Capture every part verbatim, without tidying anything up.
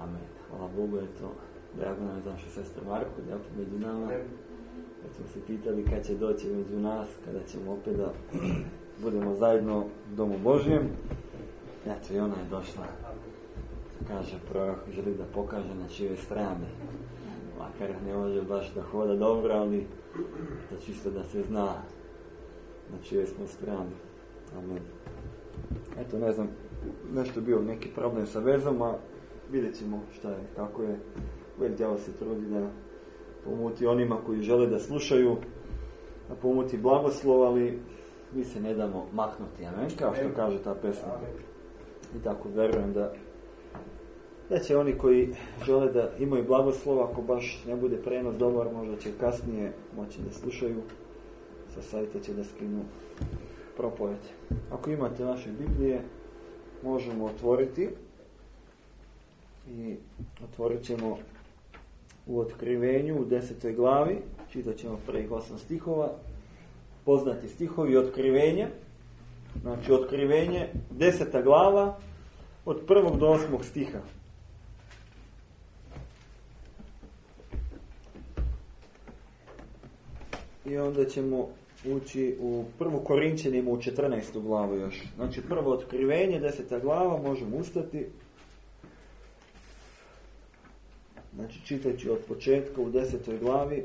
Amen. Hvala Bogu, eto, drago nam je da naša sestra Marko, da je opet među nama. Kad smo se pitali kad će doći među nas, kada ćemo opet da budemo zajedno u Domu Božjem. Eto, i ona je došla, kaže prorok, želi da pokaže na čijoj strani. Makar ne može baš da hoda dobro, ali da čisto da se zna na čijoj smo strani. Amen. Eto, ne znam, nešto bio neki problem sa vezom, a vidjet ćemo šta je, kako je. Uvijek djavo se trudi da pomuti onima koji žele da slušaju, da pomuti blagoslov, ali mi se ne damo maknuti, amen, kao što kaže ta pesma. I tako verujem da da će oni koji žele da imaju blagoslov, ako baš ne bude prenos dobar, možda će kasnije moći da slušaju, sa sajta će da skinu propoved. Ako imate vaše Biblije, možemo otvoriti i otvorit ćemo u Otkrivenju u desetoj glavi, čitat ćemo prvih osam stihova, poznati stihovi Otkrivenja, znači Otkrivenje, deseta glava, od prvog do osmog stiha. I onda ćemo ući u prvu Korinćanima u četrnaestu glavu još. Znači prvo Otkrivenje, deseta glava, možemo ustati. Znači čitajući od početka u desetoj glavi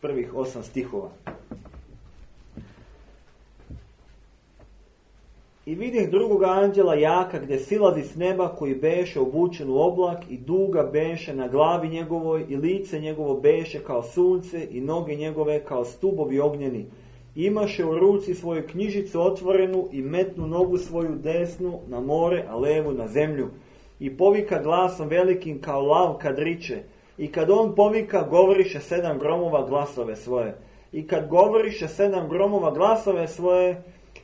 prvih osam stihova. I vidih drugog anđela jaka gdje silazi s neba, koji beše obučen u oblak i duga beše na glavi njegovoj i lice njegovo beše kao sunce i noge njegove kao stubovi ognjeni. Imaše u ruci svoju knjižicu otvorenu i metnu nogu svoju desnu na more, a levu na zemlju. I povika glasom velikim kao lav kad riče. I kad on povika, govoriše sedam gromova glasove svoje. I kad govoriše sedam gromova glasove svoje,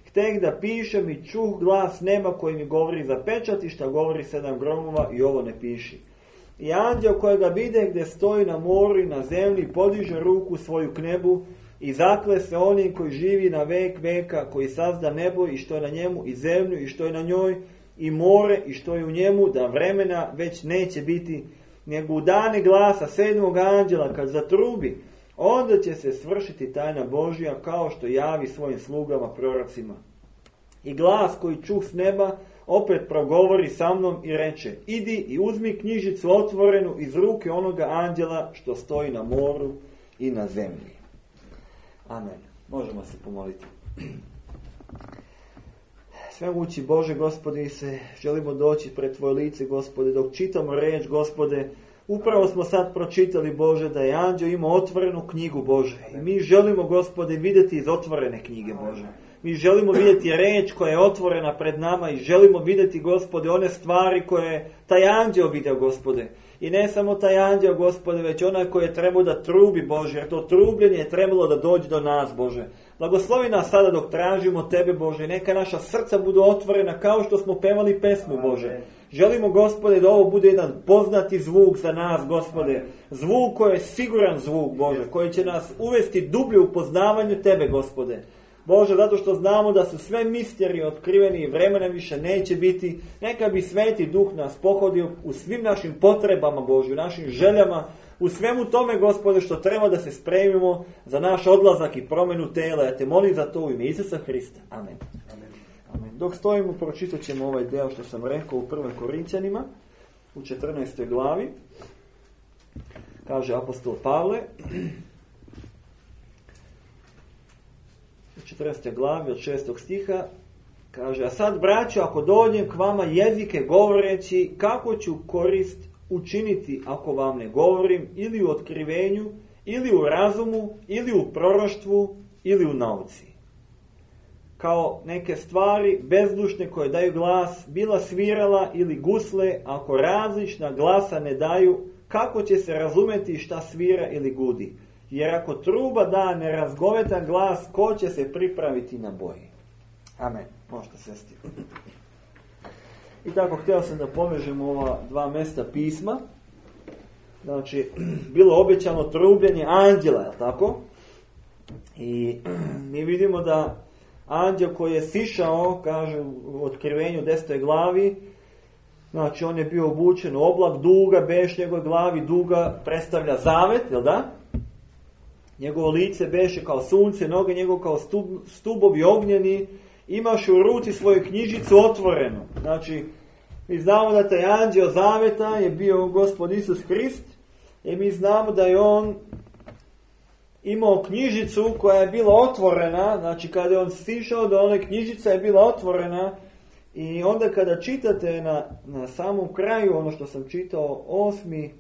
hteh da pišem i čuh glas neba koji mi govori zapečati šta govori sedam gromova i ovo ne piši. I anđeo kojega vide gdje stoji na moru i na zemlji podiže ruku svoju k nebu i zakle se onim koji živi na vek veka, koji sazda nebo i što je na njemu i zemlju i što je na njoj i more i što je u njemu, da vremena već neće biti, nego u dane glasa sedmog anđela kad zatrubi, onda će se svršiti tajna Božja kao što javi svojim slugama prorocima. I glas koji čuh s neba opet progovori sa mnom i reče: idi i uzmi knjižicu otvorenu iz ruke onoga anđela što stoji na moru i na zemlji. Amen. Možemo se pomoliti. Svemogući Bože, Gospode, se želimo doći pred Tvoje lice, Gospode, dok čitamo riječ, Gospode. Upravo smo sad pročitali, Bože, da je anđeo imao otvorenu knjigu, Bože. I mi želimo, Gospode, vidjeti iz otvorene knjige, Bože. Mi želimo vidjeti riječ koja je otvorena pred nama i želimo vidjeti, Gospode, one stvari koje je taj anđeo vidio, Gospode. I ne samo taj anđeo, Gospode, već onaj koji je trebao da trubi, Bože, jer to trubljenje je trebalo da dođe do nas, Bože. Blagoslovi nas sada dok tražimo Tebe, Bože. Neka naša srca budu otvorena kao što smo pevali pesmu, Bože. Želimo, Gospode, da ovo bude jedan poznati zvuk za nas, Gospode. Zvuk koji je siguran zvuk, Bože, koji će nas uvesti dublje u poznavanju Tebe, Gospode. Bože, zato što znamo da su sve misterije otkriveni i vremena više neće biti. Neka bi Sveti Duh nas pohodio u svim našim potrebama, Bože, u našim željama, u svemu tome, Gospode, što treba da se spremimo za naš odlazak i promjenu tela. Ja te molim za to u ime Isusa Hrista. Amen. Amen. Amen. Dok stojimo, pročitat ćemo ovaj deo što sam rekao u prvoj Korinćanima, u četrnaestoj glavi. Kaže apostol Pavle, u četrnaestoj glavi od šestog stiha, kaže: a sad, braćo, ako dođem k vama jezike govoreći, kako ću korist učiniti ako vam ne govorim ili u otkrivenju, ili u razumu, ili u proroštvu, ili u nauci. Kao neke stvari bezdušne koje daju glas, bila svirala ili gusle, ako različna glasa ne daju, kako će se razumeti šta svira ili gudi? Jer ako truba da nerazgovetan glas, ko će se pripraviti na boj? Amen. Možete sesti. I tako, htio sam da povežemo ova dva mjesta pisma. Znači, bilo obećano trubljenje anđela, je li tako? I mi vidimo da anđel koji je sišao, kaže u Otkrivenju desetoj glavi, Znači on je bio obučen u oblak, duga beš njegove glavi, duga predstavlja zavet, jel da? Njegovo lice beše kao sunce, noge njegove kao stub, stubovi ognjeni, imaše u ruci svoju knjižicu otvorenu. Znači, mi znamo da taj anđeo zaveta je bio Gospod Isus Krist i mi znamo da je on imao knjižicu koja je bila otvorena, znači kada je on stišao da ona knjižica je bila otvorena i onda kada čitate na, na samom kraju ono što sam čitao, osmi,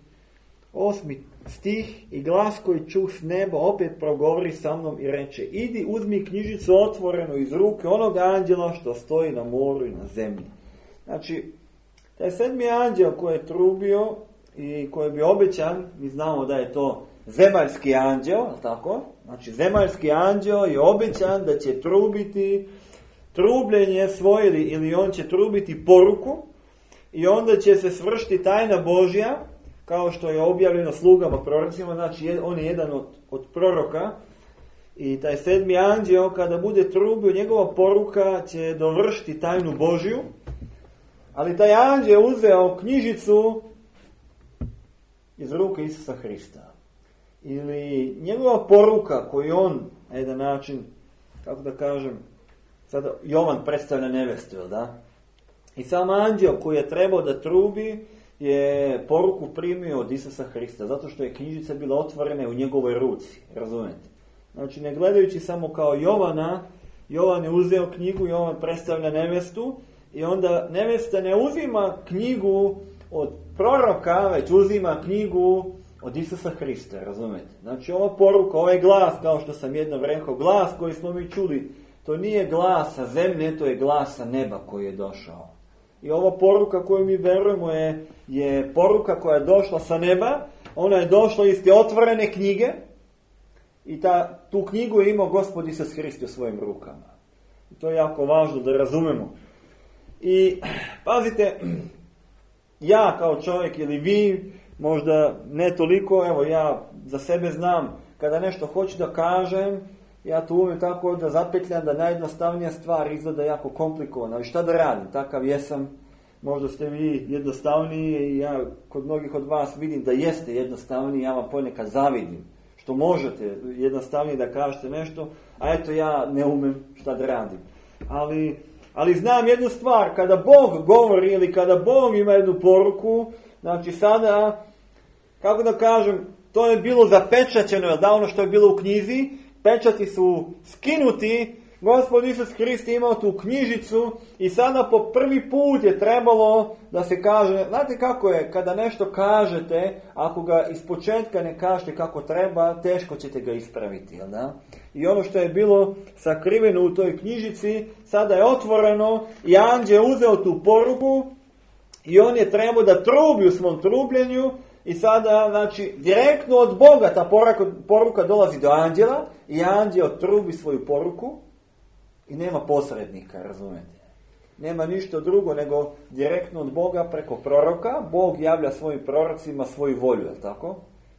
osmi stih i glas koji čuh s neba opet progovori sa mnom i reče: idi uzmi knjižicu otvorenu iz ruke onog anđela što stoji na moru i na zemlji. Znači, taj sedmi anđel koji je trubio i koji je bio obećan, mi znamo da je to zemaljski anđel, tako? Znači, zemaljski anđel je obećan da će trubiti trubljenje svoje ili, ili on će trubiti poruku i onda će se svršiti tajna Božja, kao što je objavljeno slugama prorocima, znači on je jedan od, od proroka i taj sedmi anđel kada bude trubio, njegova poruka će dovršiti tajnu Božju, ali taj anđel je uzeo knjižicu iz ruke Isusa Hrista. Ili njegova poruka koju on, na jedan način, kako da kažem, sada Jovan predstavlja nevestu, da? I sam anđel koji je trebao da trubi je poruku primio od Isusa Hrista, zato što je knjižica bila otvorena u njegovoj ruci, razumete? Znači, ne gledajući samo kao Jovana, Jovan je uzeo knjigu, Jovan predstavlja nevestu i onda nevesta ne uzima knjigu od proroka, već uzima knjigu od Isusa Hrista, razumete? Znači, ova poruka, ovaj glas, kao što sam jednom rekao, glas koji smo mi čuli, to nije glas sa zemlje, to je glas sa neba koji je došao. I ova poruka koju mi verujemo je, je poruka koja je došla sa neba, ona je došla iz te otvorene knjige i ta, tu knjigu je imao Gospod Isus Hrist u svojim rukama. I to je jako važno da razumemo. I pazite, ja kao čovjek ili vi, možda ne toliko, evo ja za sebe znam, kada nešto hoću da kažem, ja to umem tako da zapetljam da najjednostavnija stvar izgleda jako komplikovana. Ali šta da radim? Takav jesam. Možda ste vi jednostavniji i ja kod mnogih od vas vidim da jeste jednostavniji. Ja vam ponekad zavidim. Što možete jednostavnije da kažete nešto, a eto ja ne umem šta da radim. Ali, ali znam jednu stvar. Kada Bog govori ili kada Bog ima jednu poruku, znači sada, kako da kažem, to je bilo zapečaćeno, da ono što je bilo u knjizi, pečati su skinuti, Gospod Isus Hrist imao tu knjižicu i sada po prvi put je trebalo da se kaže, znate kako je, kada nešto kažete, ako ga ispočetka ne kažete kako treba, teško ćete ga ispraviti, jel da? I ono što je bilo sakriveno u toj knjižici, sada je otvoreno i anđel je uzeo tu poruku i on je trebao da trubi u svom trubljenju. I sada, znači, direktno od Boga ta poruka, poruka dolazi do anđela i anđel trubi svoju poruku i nema posrednika, razumete? Nema ništa drugo nego direktno od Boga preko proroka. Bog javlja svojim prorocima svoju volju, je li tako?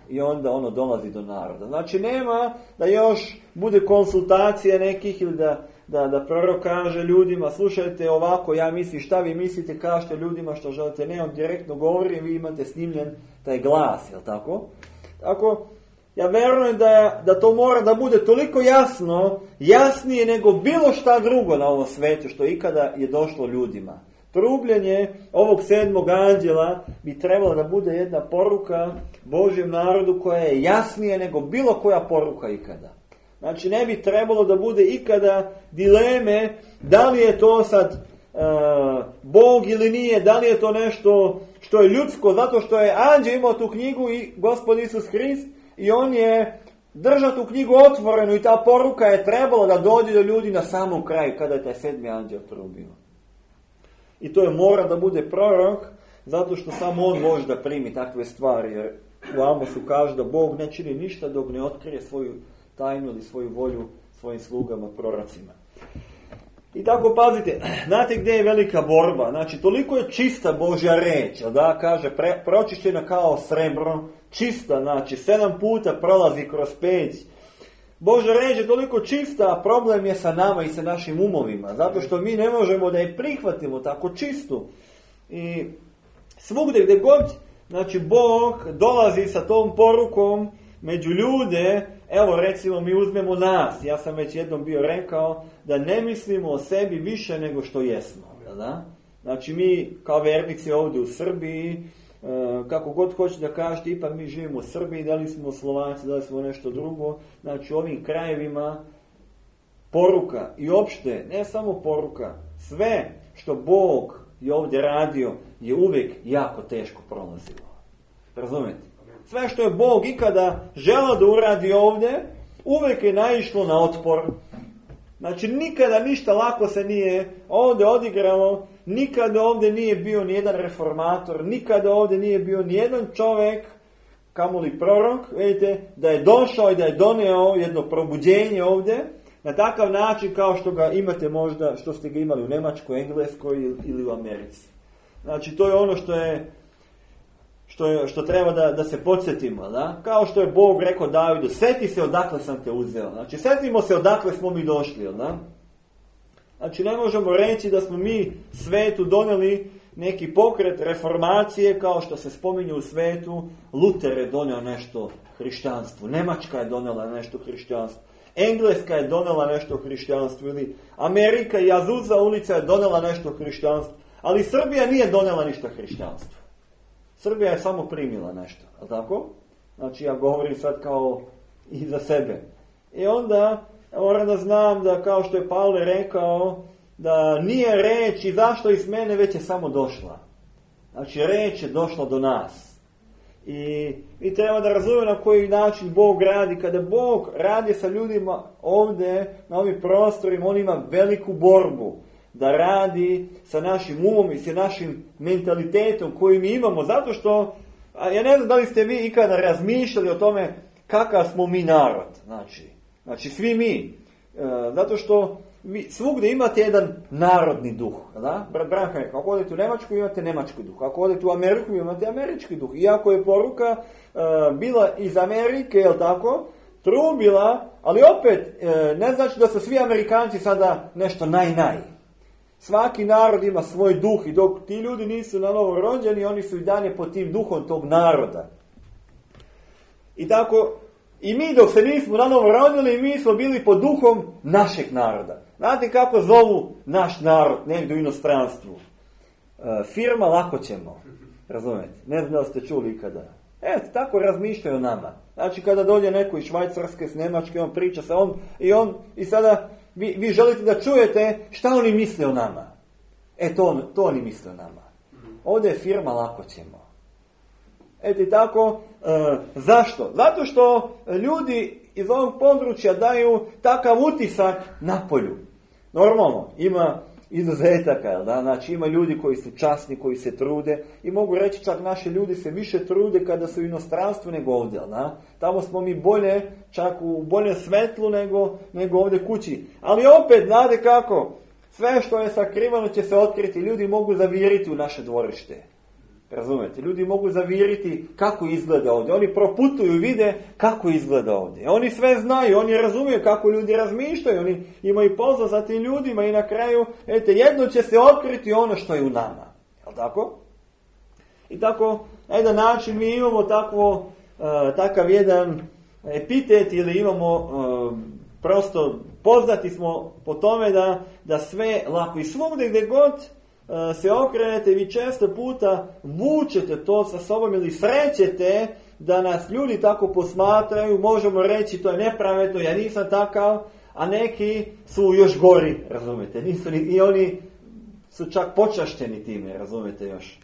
I onda ono dolazi do naroda. Znači, nema da još bude konsultacija nekih ili da, da, da prorok kaže ljudima, slušajte ovako, ja mislim šta vi mislite, kažete ljudima što želite. Ne, on direktno govori i vi imate snimljen taj glas, jel tako? Tako, ja verujem da, da to mora da bude toliko jasno, jasnije nego bilo šta drugo na ovom svetu što ikada je došlo ljudima. Trubljenje ovog sedmog anđela bi trebalo da bude jedna poruka Božjem narodu koja je jasnije nego bilo koja poruka ikada. Znači ne bi trebalo da bude ikada dileme da li je to sad uh, Bog ili nije, da li je to nešto što je ljudsko, zato što je anđel imao tu knjigu i Gospod Isus Hrist i on je držao tu knjigu otvorenu i ta poruka je trebala da dođe do ljudi na samom kraju kada je taj sedmi anđel trubio. I to je mora da bude prorok, zato što samo on može da primi takve stvari. Jer u Amosu kaže da Bog ne čini ništa dok ne otkrije svoju tajnu ili svoju volju svojim slugama, prorocima. I tako pazite, znate gdje je velika borba? Znači, toliko je čista Božja reč, da kaže, pre, pročišćena kao srebro, čista, znači, sedam puta prolazi kroz peć. Božja reč je toliko čista, a problem je sa nama i sa našim umovima, zato što mi ne možemo da je prihvatimo tako čistu. I svugdje gdje god, znači Bog dolazi sa tom porukom među ljude, evo recimo mi uzmemo nas, ja sam već jednom bio rekao da ne mislimo o sebi više nego što jesmo. Da? Znači mi kao vernici ovdje u Srbiji, kako god hoće da kažete, ipak mi živimo u Srbiji, da li smo Slovaci, da li smo nešto drugo, znači u ovim krajevima poruka i opšte, ne samo poruka, sve što Bog je ovdje radio je uvijek jako teško prolazilo. Razumijete? Sve što je Bog ikada želeo da uradi ovdje, uvijek je naišlo na otpor. Znači nikada ništa lako se nije ovdje odigralo, nikada ovdje nije bio nijedan reformator, nikada ovdje nije bio nijedan čovjek, kamoli prorok, vidite, da je došao i da je donio jedno probuđenje ovdje, na takav način kao što ga imate možda, što ste ga imali u Njemačkoj, Engleskoj ili u Americi. Znači to je ono što je Što, je, što treba da, da se podsjetimo, da? Kao što je Bog rekao Davidu, seti se odakle sam te uzeo. Znači, setimo se odakle smo mi došli, da? Znači, ne možemo reći da smo mi svetu donijeli neki pokret reformacije, kao što se spominje u svetu. Luter je donio nešto hrišćanstvu, Njemačka je donijela nešto hrišćanstvu, Engleska je donijela nešto hrišćanstvu, ili Amerika i Azusa ulica je donijela nešto hrišćanstvu, ali Srbija nije donijela ništa hrišćanstvu. Srbija je samo primila nešto, a tako? Znači ja govorim sad kao i za sebe. I onda moram da znam da, kao što je Pavle rekao, da nije reč i zašto iz mene, već je samo došla. Znači reč je došla do nas. I, i treba da razumemo na koji način Bog radi. Kada Bog radi sa ljudima ovdje, na ovim prostorima, on ima veliku borbu da radi sa našim umom i sa našim mentalitetom koji mi imamo. Zato što, ja ne znam da li ste vi ikada razmišljali o tome kakav smo mi narod. Znači, znači svi mi. E, zato što vi svugdje imate jedan narodni duh. Da? Brat Branka rekao, ako odete u Njemačku imate njemački duh. Ako odete u Ameriku imate američki duh. Iako je poruka e, bila iz Amerike, jel tako, trubila, ali opet e, ne znači da su svi Amerikanci sada nešto naj-naj. Svaki narod ima svoj duh i dok ti ljudi nisu na novo rođeni, oni su i dalje pod tim duhom tog naroda. I tako, i mi dok se nismo na novo rodili, mi smo bili pod duhom našeg naroda. Znate kako zovu naš narod negdje u inostranstvu? E, firma lako ćemo. Razumijete? Ne znam da ste čuli ikada. Eto, tako razmišljaju o nama. Znači kada dođe neko iz Švajcarske, s Njemačke, on priča sa on i on i sada vi, vi želite da čujete šta oni misle o nama. E, to, to oni misle o nama. Ovdje je firma lako ćemo. Eto i tako, e, zašto? Zato što ljudi iz ovog područja daju takav utisak na polju. Normalno, ima izuzetaka, da? Znači ima ljudi koji su časni, koji se trude i mogu reći čak naši ljudi se više trude kada su u inostranstvu nego ovdje, da? Tamo smo mi bolje, čak u bolje svetlu nego, nego ovdje kući. Ali opet, znate kako, sve što je sakrivano će se otkriti, ljudi mogu zaviriti u naše dvorište. Razumete? Ljudi mogu zaviriti kako izgleda ovdje. Oni proputuju i vide kako izgleda ovdje. Oni sve znaju, oni razumiju kako ljudi razmišljaju, oni imaju pozor za tim ljudima i na kraju, eto, jedno će se otkriti ono što je u nama. Jel' tako? I tako, na jedan način mi imamo takvo, uh, takav jedan epitet ili imamo uh, prosto poznati smo po tome da, da sve lako i svugdje gdje god se okrenete, vi često puta vučete to sa sobom ili srećete da nas ljudi tako posmatraju, možemo reći to je nepravedno, ja nisam takav, a neki su još gori, razumete, nisu ni, i oni su čak počašteni time, razumete još.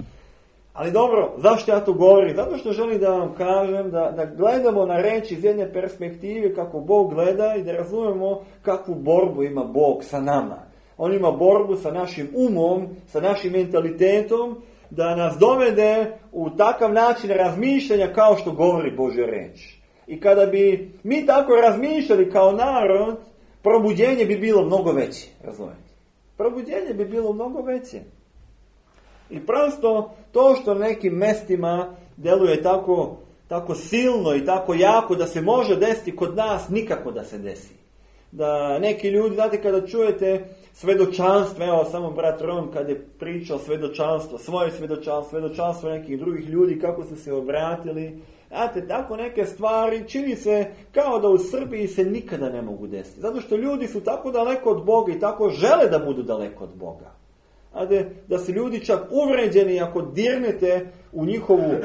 Ali dobro, zašto ja to govorim? Zato što želim da vam kažem da, da gledamo na reč iz jedne perspektive kako Bog gleda i da razumemo kakvu borbu ima Bog sa nama. On ima borbu sa našim umom, sa našim mentalitetom, da nas dovede u takav način razmišljanja kao što govori Božja reč. I kada bi mi tako razmišljali kao narod, probuđenje bi bilo mnogo veće. Razumijete? Probuđenje bi bilo mnogo veće. I prosto to što nekim mestima deluje tako, tako silno i tako jako da se može desiti kod nas, nikako da se desi. Da neki ljudi, znate, kada čujete svedočanstva, evo samo brat Ron kad je pričao svedočanstvo, svoje svedočanstvo, svedočanstvo nekih drugih ljudi, kako su se obratili. Znate, tako neke stvari čini se kao da u Srbiji se nikada ne mogu desiti. Zato što ljudi su tako daleko od Boga i tako žele da budu daleko od Boga. Znate, da su ljudi čak uvređeni ako dirnete u njihovu uh,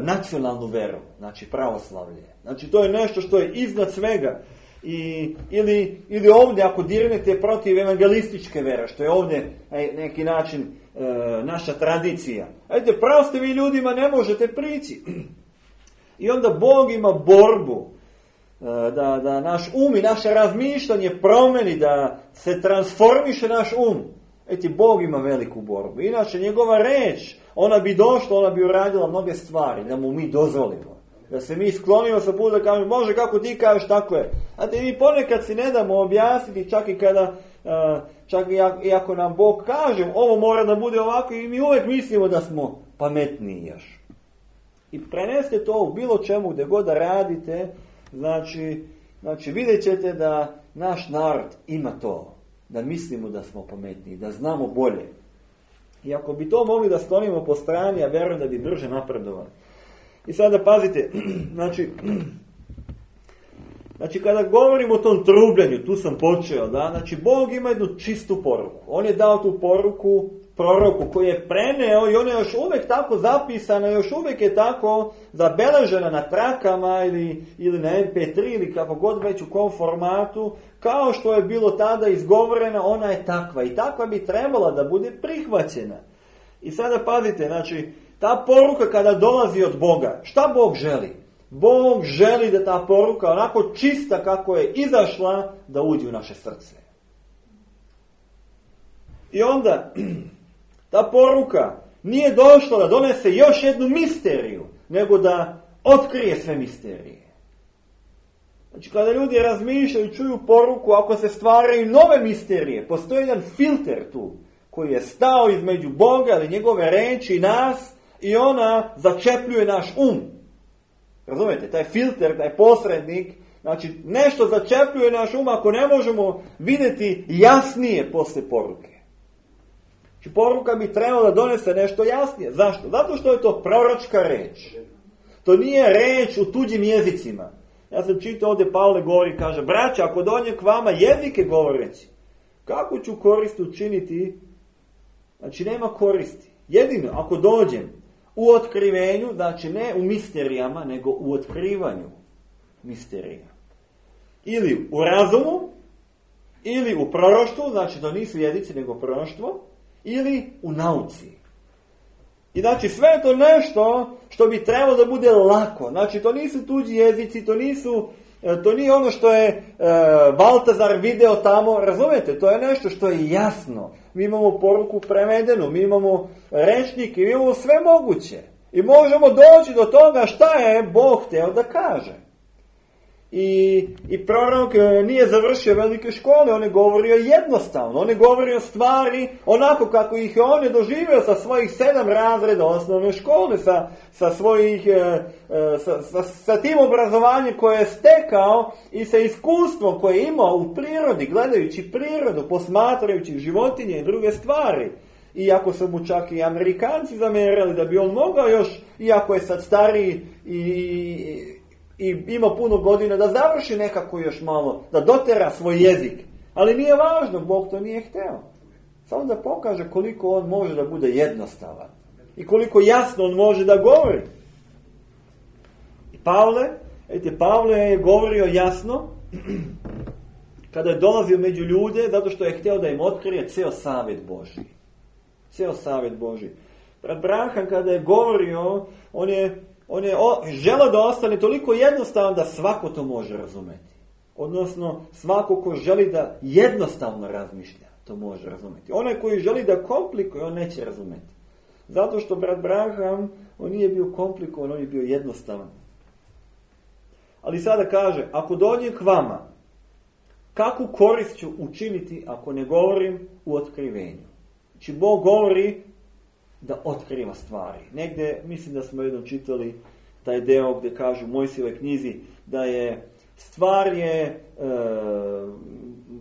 nacionalnu veru, znači pravoslavlje. Znači to je nešto što je iznad svega. I, ili, ili ovdje ako dirnete protiv evangelističke vere, što je ovdje neki način uh, naša tradicija. Ajde, prosto vi ljudima ne možete prići. I onda Bog ima borbu da, da naš um i naše razmišljanje promeni, da se transformiše naš um. Eti, Bog ima veliku borbu. Inače, njegova reč, ona bi došla, ona bi uradila mnoge stvari, da mu mi dozvolimo. Da se mi sklonimo sa puta da kažemo, Bože, kako ti kažeš, tako je. Znate, mi ponekad si ne damo objasniti, čak i kada, čak i ako nam Bog kaže, ovo mora da bude ovako, i mi uvijek mislimo da smo pametniji još. I prenesite to u bilo čemu gdje god da radite, znači, znači vidjet ćete da naš narod ima to, da mislimo da smo pametniji, da znamo bolje. I ako bi to mogli da sklonimo po strani, ja vjerujem da bi brže napredovali. I sada pazite, znači, znači kada govorimo o tom trubljenju, tu sam počeo, da, znači Bog ima jednu čistu poruku. On je dao tu poruku proroku koji je preneo i ona je još uvijek tako zapisana, još uvijek je tako zabeležena na trakama ili, ili na em pe tri ili kako god već u kom formatu, kao što je bilo tada izgovorena, ona je takva i takva bi trebala da bude prihvaćena. I sada pazite, znači, ta poruka kada dolazi od Boga, šta Bog želi? Bog želi da ta poruka onako čista kako je izašla da uđe u naše srce. I onda ta poruka nije došla da donese još jednu misteriju, nego da otkrije sve misterije. Znači, kada ljudi razmišljaju, čuju poruku, ako se stvaraju nove misterije, postoji jedan filter tu, koji je stao između Boga ili njegove reči i nas, i ona začepljuje naš um. Razumijete? Taj filter, taj posrednik, znači nešto začepljuje naš um ako ne možemo vidjeti jasnije posle poruke. Znači, poruka bi trebala da donese nešto jasnije. Zašto? Zato što je to proročka reč. To nije reč u tuđim jezicima. Ja sam čitao ovdje, Pavle govori, kaže, braća, ako dođem k vama jezike govoreći, kako ću korist učiniti? Znači, nema koristi. Jedino, ako dođem u otkrivenju, znači ne u misterijama, nego u otkrivanju misterija. Ili u razumu, ili u proroštvu, znači to nisu jezici, nego proroštvo, ili u nauci. I znači sve je to nešto što bi trebalo da bude lako. Znači to nisu tuđi jezici, to nisu, to nije ono što je e, Baltazar video tamo, razumijete? To je nešto što je jasno. Mi imamo poruku prevedenu, mi imamo rečnike, mi imamo sve moguće. I možemo doći do toga šta je Bog hteo da kaže. I, i prorok nije završio velike škole, on je govorio jednostavno, on je govorio stvari onako kako ih je on je doživio sa svojih sedam razreda osnovne škole, sa, sa, svojih, sa, sa, sa tim obrazovanjem koje je stekao i sa iskustvom koje je imao u prirodi, gledajući prirodu, posmatrajući životinje i druge stvari. Iako su mu čak i Amerikanci zamerali da bi on mogao još, iako je sad stariji i... i ima puno godina da završi nekako još malo, da dotera svoj jezik. Ali nije važno, Bog to nije hteo. Samo da pokaže koliko on može da bude jednostavan. I koliko jasno on može da govori. I Pavle, vidite, Pavle je govorio jasno, kada je dolazio među ljude, zato što je hteo da im otkrije ceo savjet Božji. Ceo savjet Božji. Brat Branham kada je govorio, on je On je želeo da ostane toliko jednostavan da svako to može razumeti. Odnosno, svako ko želi da jednostavno razmišlja, to može razumeti. Onaj koji želi da komplikuje, on neće razumeti. Zato što brat Branham, on nije bio komplikovan, on je bio jednostavan. Ali sada kaže, ako dođem k vama, kakvu korist ću učiniti ako ne govorim u otkrivenju? Znači, Bog govori da otkriva stvari. Negdje, mislim da smo jednom čitali taj deo gdje kažu u Mojsijevoj knjizi da je stvar je e,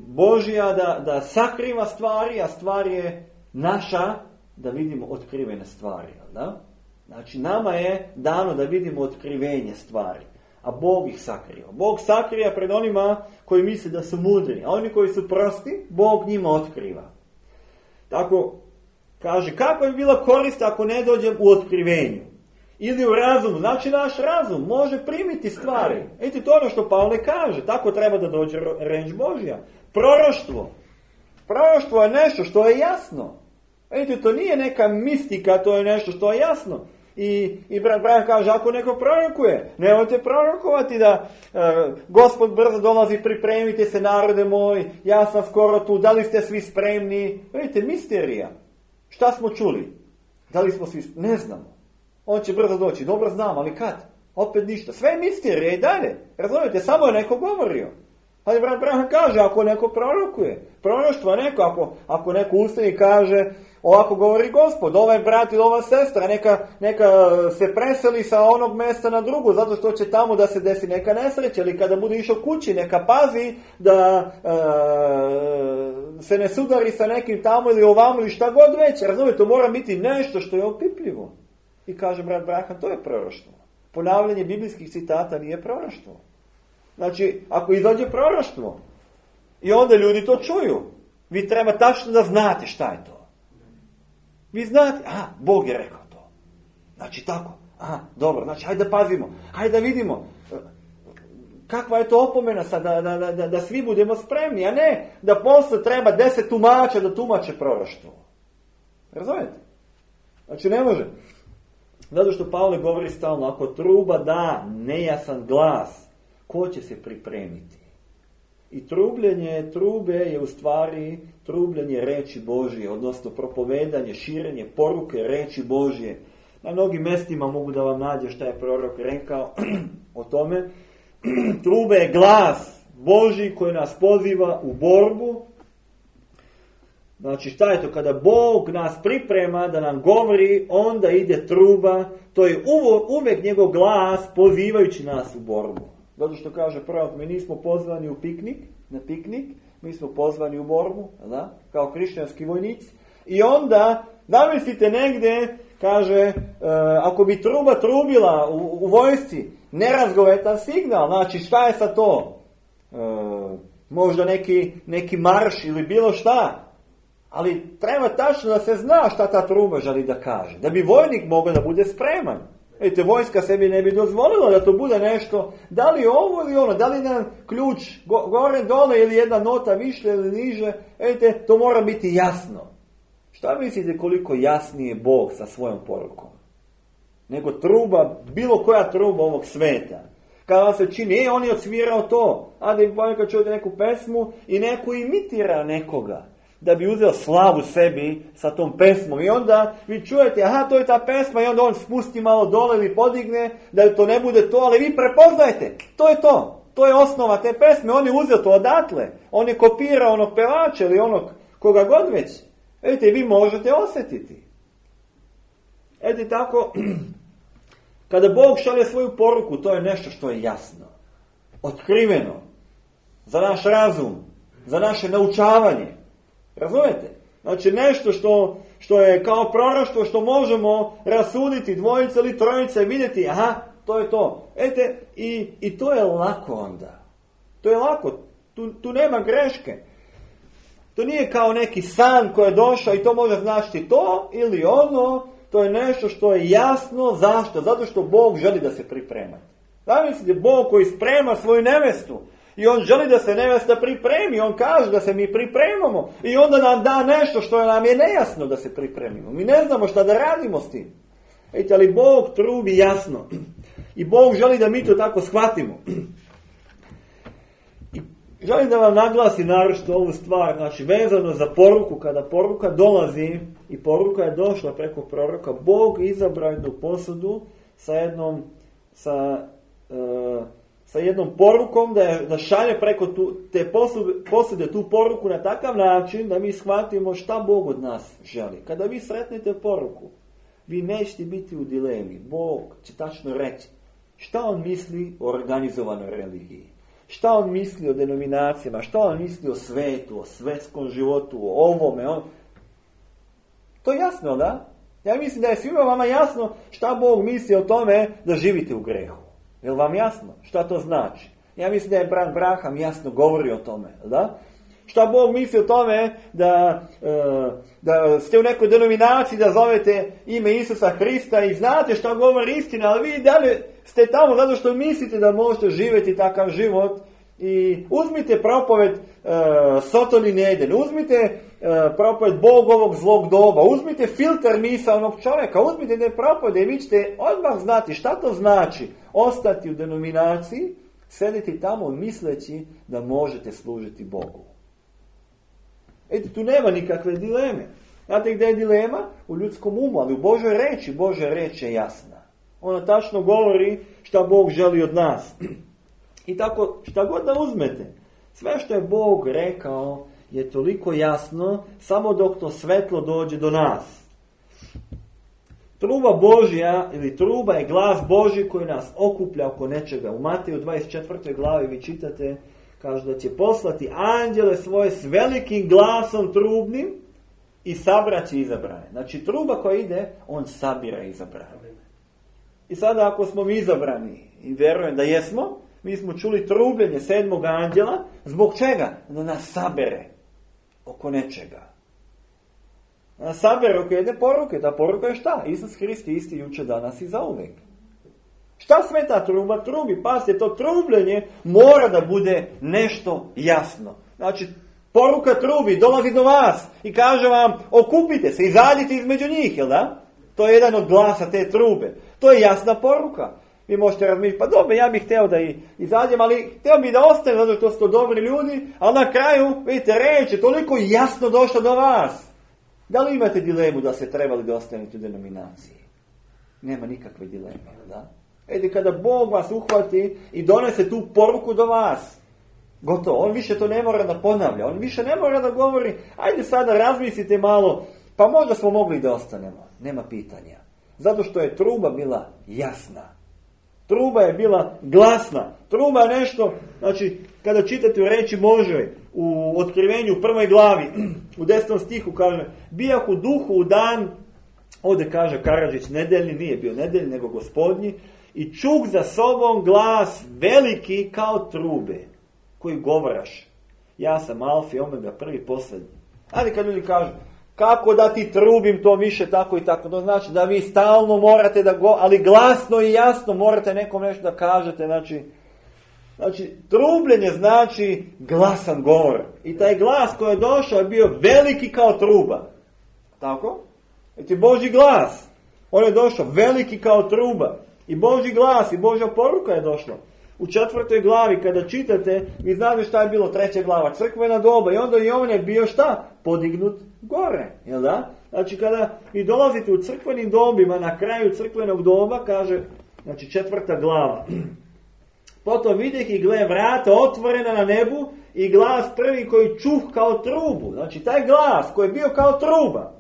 Božja da, da sakriva stvari, a stvar je naša da vidimo otkrivene stvari. Da? Znači, nama je dano da vidimo otkrivenje stvari, a Bog ih sakriva. Bog sakriva pred onima koji misle da su mudri, a oni koji su prosti, Bog njima otkriva. Tako, kaže, kako bi bila korist ako ne dođem u otkrivenju? Ili u razumu. Znači, naš razum može primiti stvari. Eto, to ono što Pavle kaže. Tako treba da dođe reč Božja. Proroštvo. Proroštvo je nešto što je jasno. Eto, to nije neka mistika, to je nešto što je jasno. I, i brat Brian kaže, ako neko prorokuje, nemojte prorokovati da e, Gospod brzo dolazi, pripremite se narode moj, ja sam skoro tu, da li ste svi spremni? Vidite, misterija. Šta smo čuli? Da li smo svi spremni? Ne znamo. On će brzo doći, dobro znam, ali kad? Opet ništa. Sve je misterija i dalje. Razumijete, samo je neko govorio. Ali brat Brian kaže, ako neko prorokuje, proroštvo neko, ako, ako neko ustani kaže, ovako govori Gospod, ovaj brat ili ova sestra, neka, neka se preseli sa onog mjesta na drugo, zato što će tamo da se desi neka nesreća, ili kada bude išao kući, neka pazi da e, se ne sudari sa nekim tamo ili ovamo ili šta god već. Razumijete, to mora biti nešto što je opipljivo. I kaže brat Brahan, to je proroštvo. Ponavljanje biblijskih citata nije proroštvo. Znači, ako izađe proroštvo i onda ljudi to čuju, vi treba tačno da znate šta je to. Vi znate, aha, Bog je rekao to. Znači tako, aha, dobro, znači hajde da pazimo, hajde da vidimo kakva je to opomena sad, da, da, da, da svi budemo spremni, a ne da posle treba deset tumača da tumače proroštvo. Razumijete? Znači ne može. Zato što Pavle govori stalno, ako truba da nejasan glas, ko će se pripremiti? I trubljenje trube je u stvari trubljenje reči Božje, odnosno propovedanje, širenje poruke reči Božje. Na mnogim mjestima mogu da vam nađe šta je prorok rekao o tome. Trube je glas Božji koji nas poziva u borbu. Znači šta je to? Kada Bog nas priprema da nam govori, onda ide truba. To je uvijek njegov glas pozivajući nas u borbu. Zato što kaže prorok, mi nismo pozvani u piknik, na piknik, mi smo pozvani u borbu, da? Kao hrišćanski vojnici. I onda, zamislite negdje, kaže, e, ako bi truba trubila u, u vojsci, nerazgovetan signal, znači šta je sa to? E, možda neki, neki marš ili bilo šta. Ali treba tačno da se zna šta ta truba želi da kaže. Da bi vojnik mogao da bude spreman. Vidite, vojska sebi ne bi dozvolila da to bude nešto, da li ovo ili ono, da li nam ključ go, gore, dole ili jedna nota više ili niže, vidite, to mora biti jasno. Šta mislite koliko jasnije Bog sa svojom porukom? Nego truba, bilo koja truba ovog sveta. Kada se čini, e, on je odsvirao to, a da im ponekad čujete neku pesmu i neko imitira nekoga, da bi uzeo slavu sebi sa tom pesmom. I onda vi čujete, aha, to je ta pesma, i onda on spusti malo dole ili podigne, da to ne bude to, ali vi prepoznajte, to je to. To je osnova te pesme, on je uzeo to odatle. On je kopirao onog pevača ili onog koga god već. Vidite, vi možete osjetiti. Eto tako, kada Bog šalje svoju poruku, to je nešto što je jasno, otkriveno, za naš razum, za naše naučavanje. Razumete? Znači nešto što, što je kao proroštvo, što možemo rasuditi dvojice ili trojice, vidjeti, aha, to je to. Ete, i, i to je lako onda. To je lako. Tu, tu nema greške. To nije kao neki san koji je došao i to može značiti to ili ono. To je nešto što je jasno. Zašto? Zato što Bog želi da se priprema. Zamislite, Bog koji sprema svoju nevestu. I on želi da se nevesta pripremi. On kaže da se mi pripremamo. I onda nam da nešto što nam je nejasno da se pripremimo. Mi ne znamo šta da radimo s tim. Ejte, ali Bog trubi jasno. I Bog želi da mi to tako shvatimo. I želim da vam naglasim naročito ovu stvar. Znači, vezano za poruku. Kada poruka dolazi i poruka je došla preko proroka, Bog izabrao jednu posudu sa jednom sa uh, sa jednom porukom, da, je, da šalje preko tu, te posude, posude tu poruku na takav način da mi shvatimo šta Bog od nas želi. Kada vi sretnete poruku, vi nećete biti u dilemi. Bog će tačno reći šta on misli o organizovanoj religiji. šta on misli o denominacijama, šta on misli o svetu, o svetskom životu, o ovome. On... To je jasno, da? Ja mislim da je svima vama jasno šta Bog misli o tome da živite u grehu. Je li vam jasno šta to znači? Ja mislim da je brat Braham jasno govori o tome, da? Šta Bog misli o tome da, da ste u nekoj denominaciji, da zovete ime Isusa Hrista i znate šta govori istina, ali vi dalje ste tamo zato što mislite da možete živjeti takav život. I uzmite propoved uh, Soton Eden, uzmite uh, propoved Bogovog zlog doba, uzmite filter misa onog čovjeka, uzmite te propovede i vi ćete odmah znati šta to znači ostati u denominaciji, sediti tamo misleći da možete služiti Bogu. Eto, tu nema nikakve dileme. Znate gdje je dilema? U ljudskom umu, ali u Božoj reči. Božja reč je jasna. Ona tačno govori šta Bog želi od nas. I tako, šta god da uzmete, sve što je Bog rekao je toliko jasno, samo dok to svetlo dođe do nas. Truba Božja, ili truba je glas Božji koji nas okuplja oko nečega. U Mateju dvadeset četvrtoj glavi vi čitate, kaže da će poslati anđele svoje s velikim glasom trubnim i sabraće izabrane. Znači truba koja ide, on sabira izabrane. I sada ako smo mi izabrani, i vjerujem da jesmo, mi smo čuli trubljenje sedmog anđela. Zbog čega? Da nas sabere oko nečega. Da nas sabere oko jedne poruke. Ta poruka je šta? Isus Hrist je isti jučer, danas i zauvijek. Šta sve ta truba trubi? Pazite, to trubljenje mora da bude nešto jasno. Znači, poruka trubi, dolazi do vas i kaže vam, okupite se, izađite između njih, jel da? To je jedan od glasa te trube. To je jasna poruka. Vi možete razmišljati, pa dobro, ja bih htio da i izađem, ali htio bih da ostane, zato što su to dobri ljudi, ali na kraju, vidite, reč je toliko jasno došla do vas. Da li imate dilemu da ste trebali da ostanete u denominaciji? Nema nikakve dileme, da? Edi, kada Bog vas uhvati i donese tu poruku do vas, gotovo, on više to ne mora da ponavlja, on više ne mora da govori, ajde sada razmislite malo, pa možda smo mogli da ostanemo, nema pitanja. Zato što je truba bila jasna. Truba je bila glasna. Truba je nešto, znači, kada čitate u reči Božoj, u Otkrivenju u prvoj glavi, u desnom stihu kaže, bijah u duhu u dan, ovdje kaže Karadžić, nedeljni, nije bio nedeljni, nego gospodnji, i čuk za sobom glas veliki kao trube, koji govoraš, ja sam alfa i omega, prvi posljednji. Ali kad ljudi kažu, kako da ti trubim to više tako i tako, to znači da vi stalno morate da go, ali glasno i jasno morate nekom nešto da kažete, znači, znači trubljenje znači glasan govor. I taj glas koji je došao je bio veliki kao truba. Tako? Znači Božji glas, on je došao veliki kao truba. I Božji glas i Božja poruka je došla. U četvrtoj glavi kada čitate, vi znate šta je bilo treća glava, crkvena doba, i onda i on je bio šta? Podignut gore, jel da? Znači kada vi dolazite u crkvenim dobima, na kraju crkvenog doba, kaže, znači četvrta glava. Potom vidjeh i gle vrata otvorena na nebu i glas prvi koji čuh kao trubu. Znači taj glas koji je bio kao truba,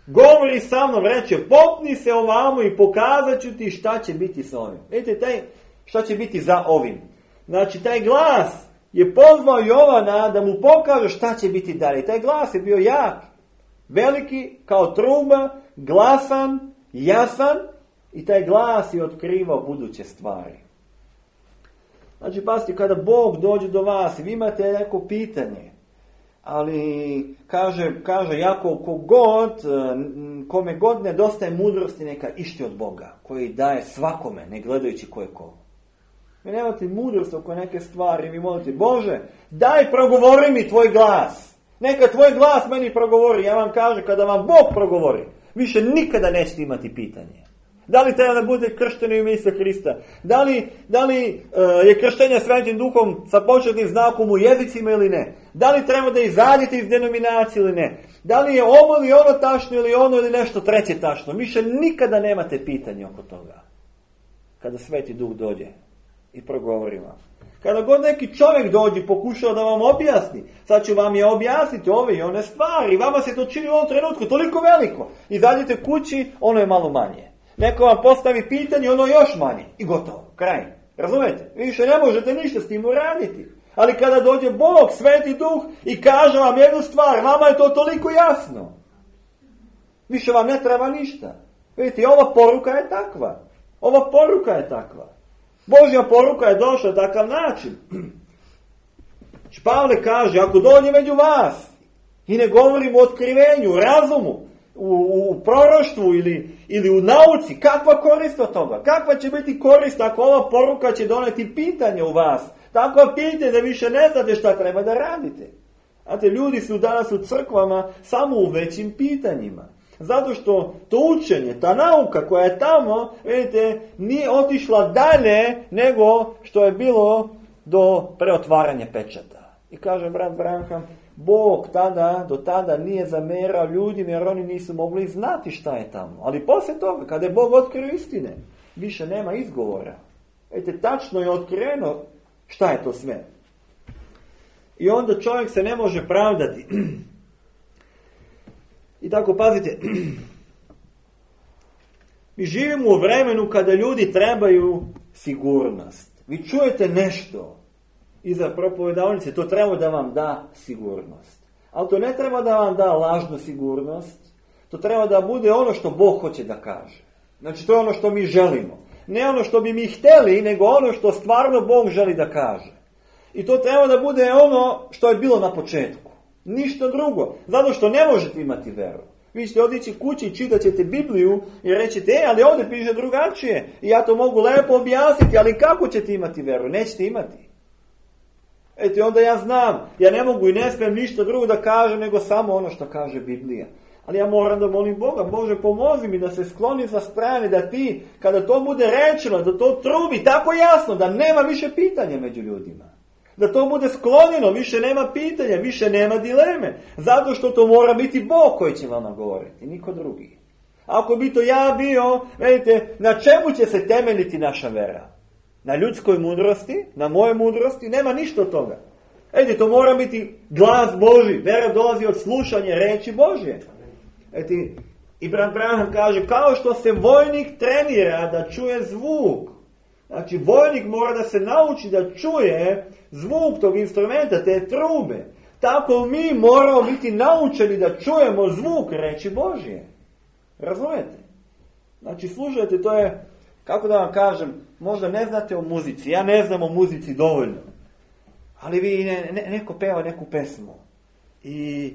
govori sa mnom, reče, popni se ovamo i pokazat ću ti šta će biti sa ovim. Vidite, taj, šta će biti za ovim. Znači, taj glas je pozvao Jovana da mu pokaže šta će biti dalje. Taj glas je bio jak, veliki, kao truba, glasan, jasan, i taj glas je otkrivao buduće stvari. Znači, pazite, kada Bog dođe do vas i vi imate neko pitanje, ali kaže, kaže Jakov, kogod, kome god nedostaje mudrosti, neka išti od Boga, koji daje svakome, ne gledajući ko je ko. Vi nemate mudrost oko neke stvari, vi molite, Bože, daj progovori mi tvoj glas. Neka tvoj glas meni progovori. Ja vam kažem, kada vam Bog progovori, više nikada nećete imati pitanje. Da li treba da bude kršteno u ime Isusa Hrista? Da li, da li uh, je krštenje Svetim Duhom sa početnim znakom u jezicima ili ne? Da li treba da izađete iz denominacije ili ne? Da li je ovo ili ono tačno ili ono ili nešto treće tačno? Više nikada nemate pitanje oko toga. Kada Sveti Duh dođe i progovori vam. Kada god neki čovjek dođe i pokušava da vam objasni, sad ću vam je objasniti ove i one stvari. Vama se to čini u ovom trenutku toliko veliko. Izađete kući, ono je malo manje. Neko vam postavi pitanje, ono je još manje. I gotovo, kraj. Razumete? Više ne možete ništa s tim uraditi. Ali kada dođe Bog, Sveti Duh i kaže vam jednu stvar, vama je to toliko jasno. Više vam ne treba ništa. Vidite, ova poruka je takva. Ova poruka je takva. Božja poruka je došla na takav način. Pavle kaže, ako dođe među vas i ne govorimo o otkrivenju, u razumu, u, u proroštvu ili, ili u nauci, kakva korist od toga? Kakva će biti korist ako ova poruka će doneti pitanje u vas? Takva pitanje da više ne znate šta treba da radite. Znate, ljudi su danas u crkvama samo u većim pitanjima. Zato što to učenje, ta nauka koja je tamo, vidite, nije otišla dalje nego što je bilo do preotvaranja pečata. I kaže brat Branham, Bog tada, do tada nije zamerao ljudima jer oni nisu mogli znati šta je tamo. Ali poslije toga, kada je Bog otkrio istine, više nema izgovora. Vidite, tačno je otkriveno šta je to sve. I onda čovjek se ne može pravdati. I tako, pazite, mi živimo u vremenu kada ljudi trebaju sigurnost. Vi čujete nešto iza propovedavnice, to treba da vam da sigurnost. Ali to ne treba da vam da lažnu sigurnost, to treba da bude ono što Bog hoće da kaže. Znači, to je ono što mi želimo. Ne ono što bi mi htjeli, nego ono što stvarno Bog želi da kaže. I to treba da bude ono što je bilo na početku. Ništa drugo. Zato što ne možete imati veru. Vi ćete odići kući i čitat ćete Bibliju i rećete, e, ali ovdje piše drugačije. I ja to mogu lepo objasniti, ali kako ćete imati veru? Nećete imati. Eto, onda ja znam, ja ne mogu i ne smijem ništa drugo da kažem, nego samo ono što kaže Biblija. Ali ja moram da molim Boga, Bože, pomozi mi da se skloni sa strane, da ti, kada to bude rečeno, da to trubi tako jasno, da nema više pitanja među ljudima. Da to bude sklonjeno, više nema pitanja, više nema dileme. Zato što to mora biti Bog koji će vama govoriti, niko drugi. Ako bi to ja bio, vidite, na čemu će se temeljiti naša vera? Na ljudskoj mudrosti, na moje mudrosti, nema ništa od toga. Vidite, to mora biti glas Božji, vera dolazi od slušanja reči Božje. Vidite, i brat Branham kaže, kao što se vojnik trenira da čuje zvuk. Znači, vojnik mora da se nauči da čuje zvuk tog instrumenta, te trube. Tako mi moramo biti naučeni da čujemo zvuk reči Božje. Razumijete? Znači, slušajte, to je, kako da vam kažem, možda ne znate o muzici. Ja ne znam o muzici dovoljno. Ali vi, ne, ne, neko peva neku pesmu. I,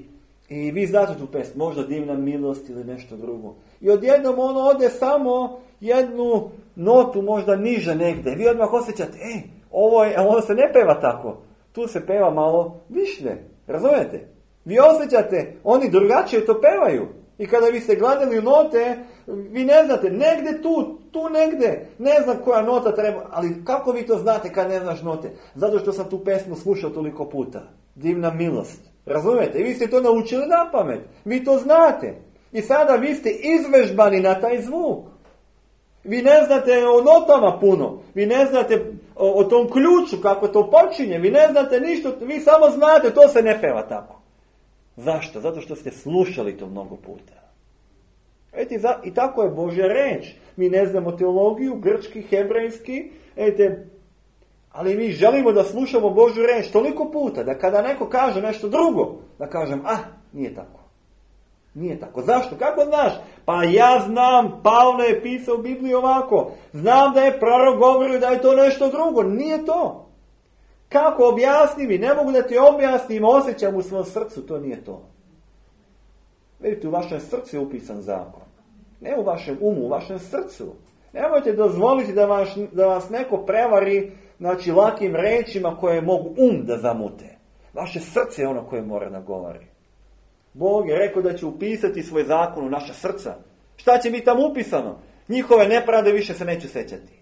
i vi znate tu pesmu, možda Divna milost ili nešto drugo. I odjednom ono ode samo jednu notu možda niže negdje. Vi odmah osjećate, ej, ovo, je, ovo se ne peva tako. Tu se peva malo više. Razumijete? Vi osjećate, oni drugačije to pevaju. I kada vi ste gledali u note, vi ne znate, negdje tu, tu negdje, ne znam koja nota treba, ali kako vi to znate kad ne znaš note? Zato što sam tu pesmu slušao toliko puta. Divna milost. Razumijete? I vi ste to naučili na pamet. Vi to znate. I sada vi ste izvežbani na taj zvuk. Vi ne znate o notama puno. Vi ne znate o, o tom ključu, kako to počinje. Vi ne znate ništa. Vi samo znate, to se ne peva tako. Zašto? Zato što ste slušali to mnogo puta. Eti, i tako je Božja reč. Mi ne znamo teologiju, grčki, hebrejski. Ete, ali mi želimo da slušamo Božju reč toliko puta, da kada neko kaže nešto drugo, da kažem, ah, nije tako. Nije tako. Zašto? Kako znaš? Pa ja znam, Pavle je pisao u Bibliji ovako. Znam da je prorok govorio da je to nešto drugo. Nije to. Kako objasni mi? Ne mogu da ti objasnim, osjećam u svom srcu, to nije to. Vidite, u vašem srcu je upisan zakon. Ne u vašem umu, u vašem srcu. Nemojte dozvoliti da vas, da vas neko prevari, znači, lakim rečima koje mogu um da zamute. Vaše srce je ono koje mora da govori. Bog je rekao da će upisati svoj zakon u naša srca. Šta će biti tamo upisano? Njihove nepravde više se neću sećati.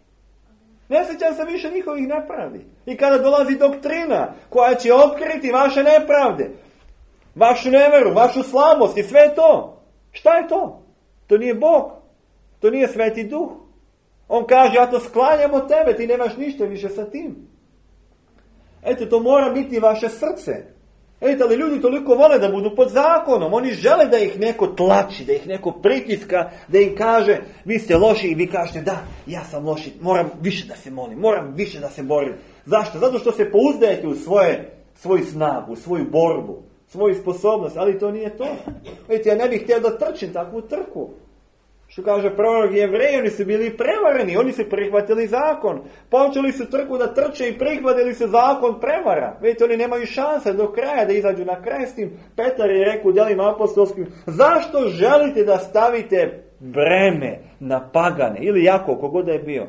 Ne sjećam se više njihovih nepravdi. I kada dolazi doktrina koja će otkriti vaše nepravde, vašu neveru, vašu slabost i sve to. Šta je to? To nije Bog. To nije Sveti Duh. On kaže, ja to sklanjam od tebe, ti nemaš ništa više sa tim. Eto, to mora biti vaše srce. Vidite, ali ljudi toliko vole da budu pod zakonom. Oni žele da ih neko tlači, da ih neko pritiska, da im kaže, vi ste loši i vi kažete, da, ja sam loši, moram više da se molim, moram više da se borim. Zašto? Zato što se pouzdajete u svoje, svoju snagu, u svoju borbu, svoju sposobnost, ali to nije to. Vidite, ja ne bih htio da trčim takvu trku. Što kaže prorok, Jevreji, oni su bili prevareni, oni su prihvatili zakon. Počeli su trku da trče i prihvatili su zakon prevara. Vidite, oni nemaju šanse do kraja da izađu na kraj s tim. Petar je rekao u djelima apostolskim, zašto želite da stavite breme na pagane? Ili Jakov, kogod da je bio.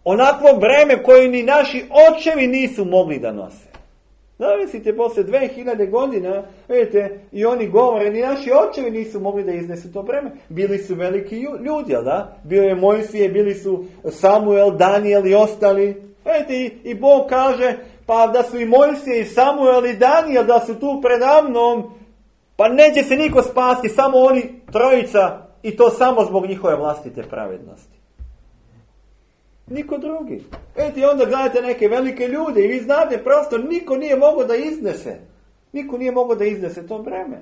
Onakvo breme koje ni naši očevi nisu mogli da nose. Zamislite, poslije dve hiljade godina, vidite, i oni govore, ni naši očevi nisu mogli da iznesu to breme. Bili su veliki ljudi, jel da? Bio je Mojsije, bili su Samuel, Daniel i ostali. Vidite, i, i Bog kaže, pa da su i Mojsije, i Samuel, i Daniel, da su tu predamnom, pa neće se niko spasti, samo oni trojica, i to samo zbog njihove vlastite pravednosti. Niko drugi. Eto, i onda gledate neke velike ljude i vi znate, prosto niko nije mogao da iznese. Niko nije mogao da iznese to breme.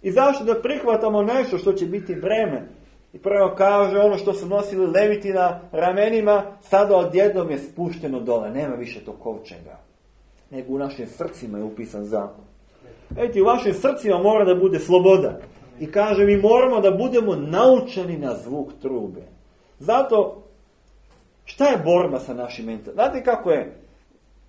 I zašto da prihvatamo nešto što će biti breme? I prvo kaže, ono što su nosili leviti na ramenima, sada odjednom je spušteno dole. Nema više tog kovčega. Nego u našim srcima je upisan zakon. Eto, u vašim srcima mora da bude sloboda. I kaže, mi moramo da budemo naučeni na zvuk trube. Zato, šta je borba sa našim mentalom? Znate kako je?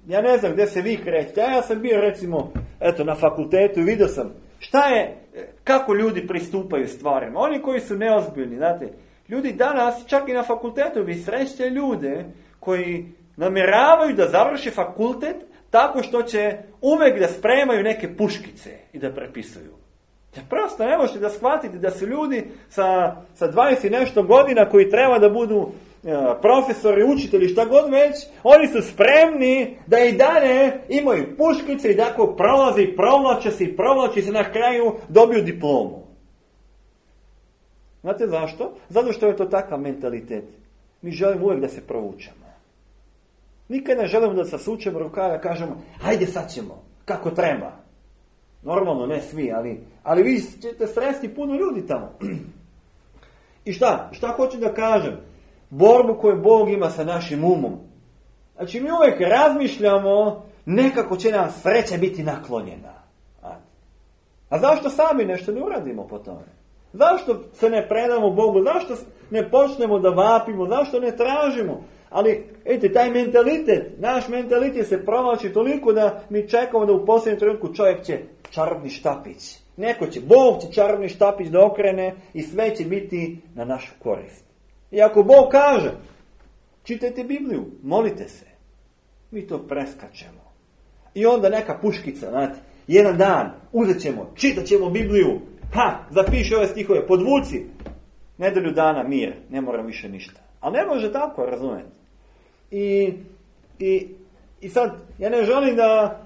Ja ne znam gdje se vi krećete. Ja sam bio recimo eto, na fakultetu i vidio sam šta je, kako ljudi pristupaju stvarima. Oni koji su neozbiljni, znate. Ljudi danas, čak i na fakultetu, vi srećete ljude koji namjeravaju da završi fakultet tako što će uvijek da spremaju neke puškice i da prepisuju. Ja prosto ne možete da shvatite da su ljudi sa, sa dvadeset i nešto godina koji treba da budu profesori, učitelji, šta god već, oni su spremni da i dalje imaju puškice i tako prolazi, provlače se i provlači se na kraju dobiju diplomu. Znate zašto? Zato što je to takav mentalitet. Mi želimo uvijek da se provučemo. Nikad ne želimo da se sučemo rukava i kažemo, hajde sad ćemo, kako treba. Normalno, ne svi, ali, ali vi ćete sresti puno ljudi tamo. I šta? Šta hoću da kažem? Borbu koju Bog ima sa našim umom. Znači mi uvijek razmišljamo nekako će nam sreća biti naklonjena. A zašto sami nešto ne uradimo po tome? Zašto se ne predamo Bogu? Zašto ne počnemo da vapimo? Zašto ne tražimo? Ali, vidite, taj mentalitet, naš mentalitet se provlači toliko da mi čekamo da u posljednjem trenutku čovjek će čarobni štapić. Neko će, Bog će čarobni štapić da okrene i sve će biti na našu korist. I ako Bog kaže, čitajte Bibliju, molite se, mi to preskačemo. I onda neka puškica, znate, jedan dan uzet ćemo, čitat ćemo Bibliju, ha, zapiši ove stihove, podvuci, nedelju dana mir, ne moram više ništa. Ali ne može tako, razumijete. I, i, i sad, ja ne želim da,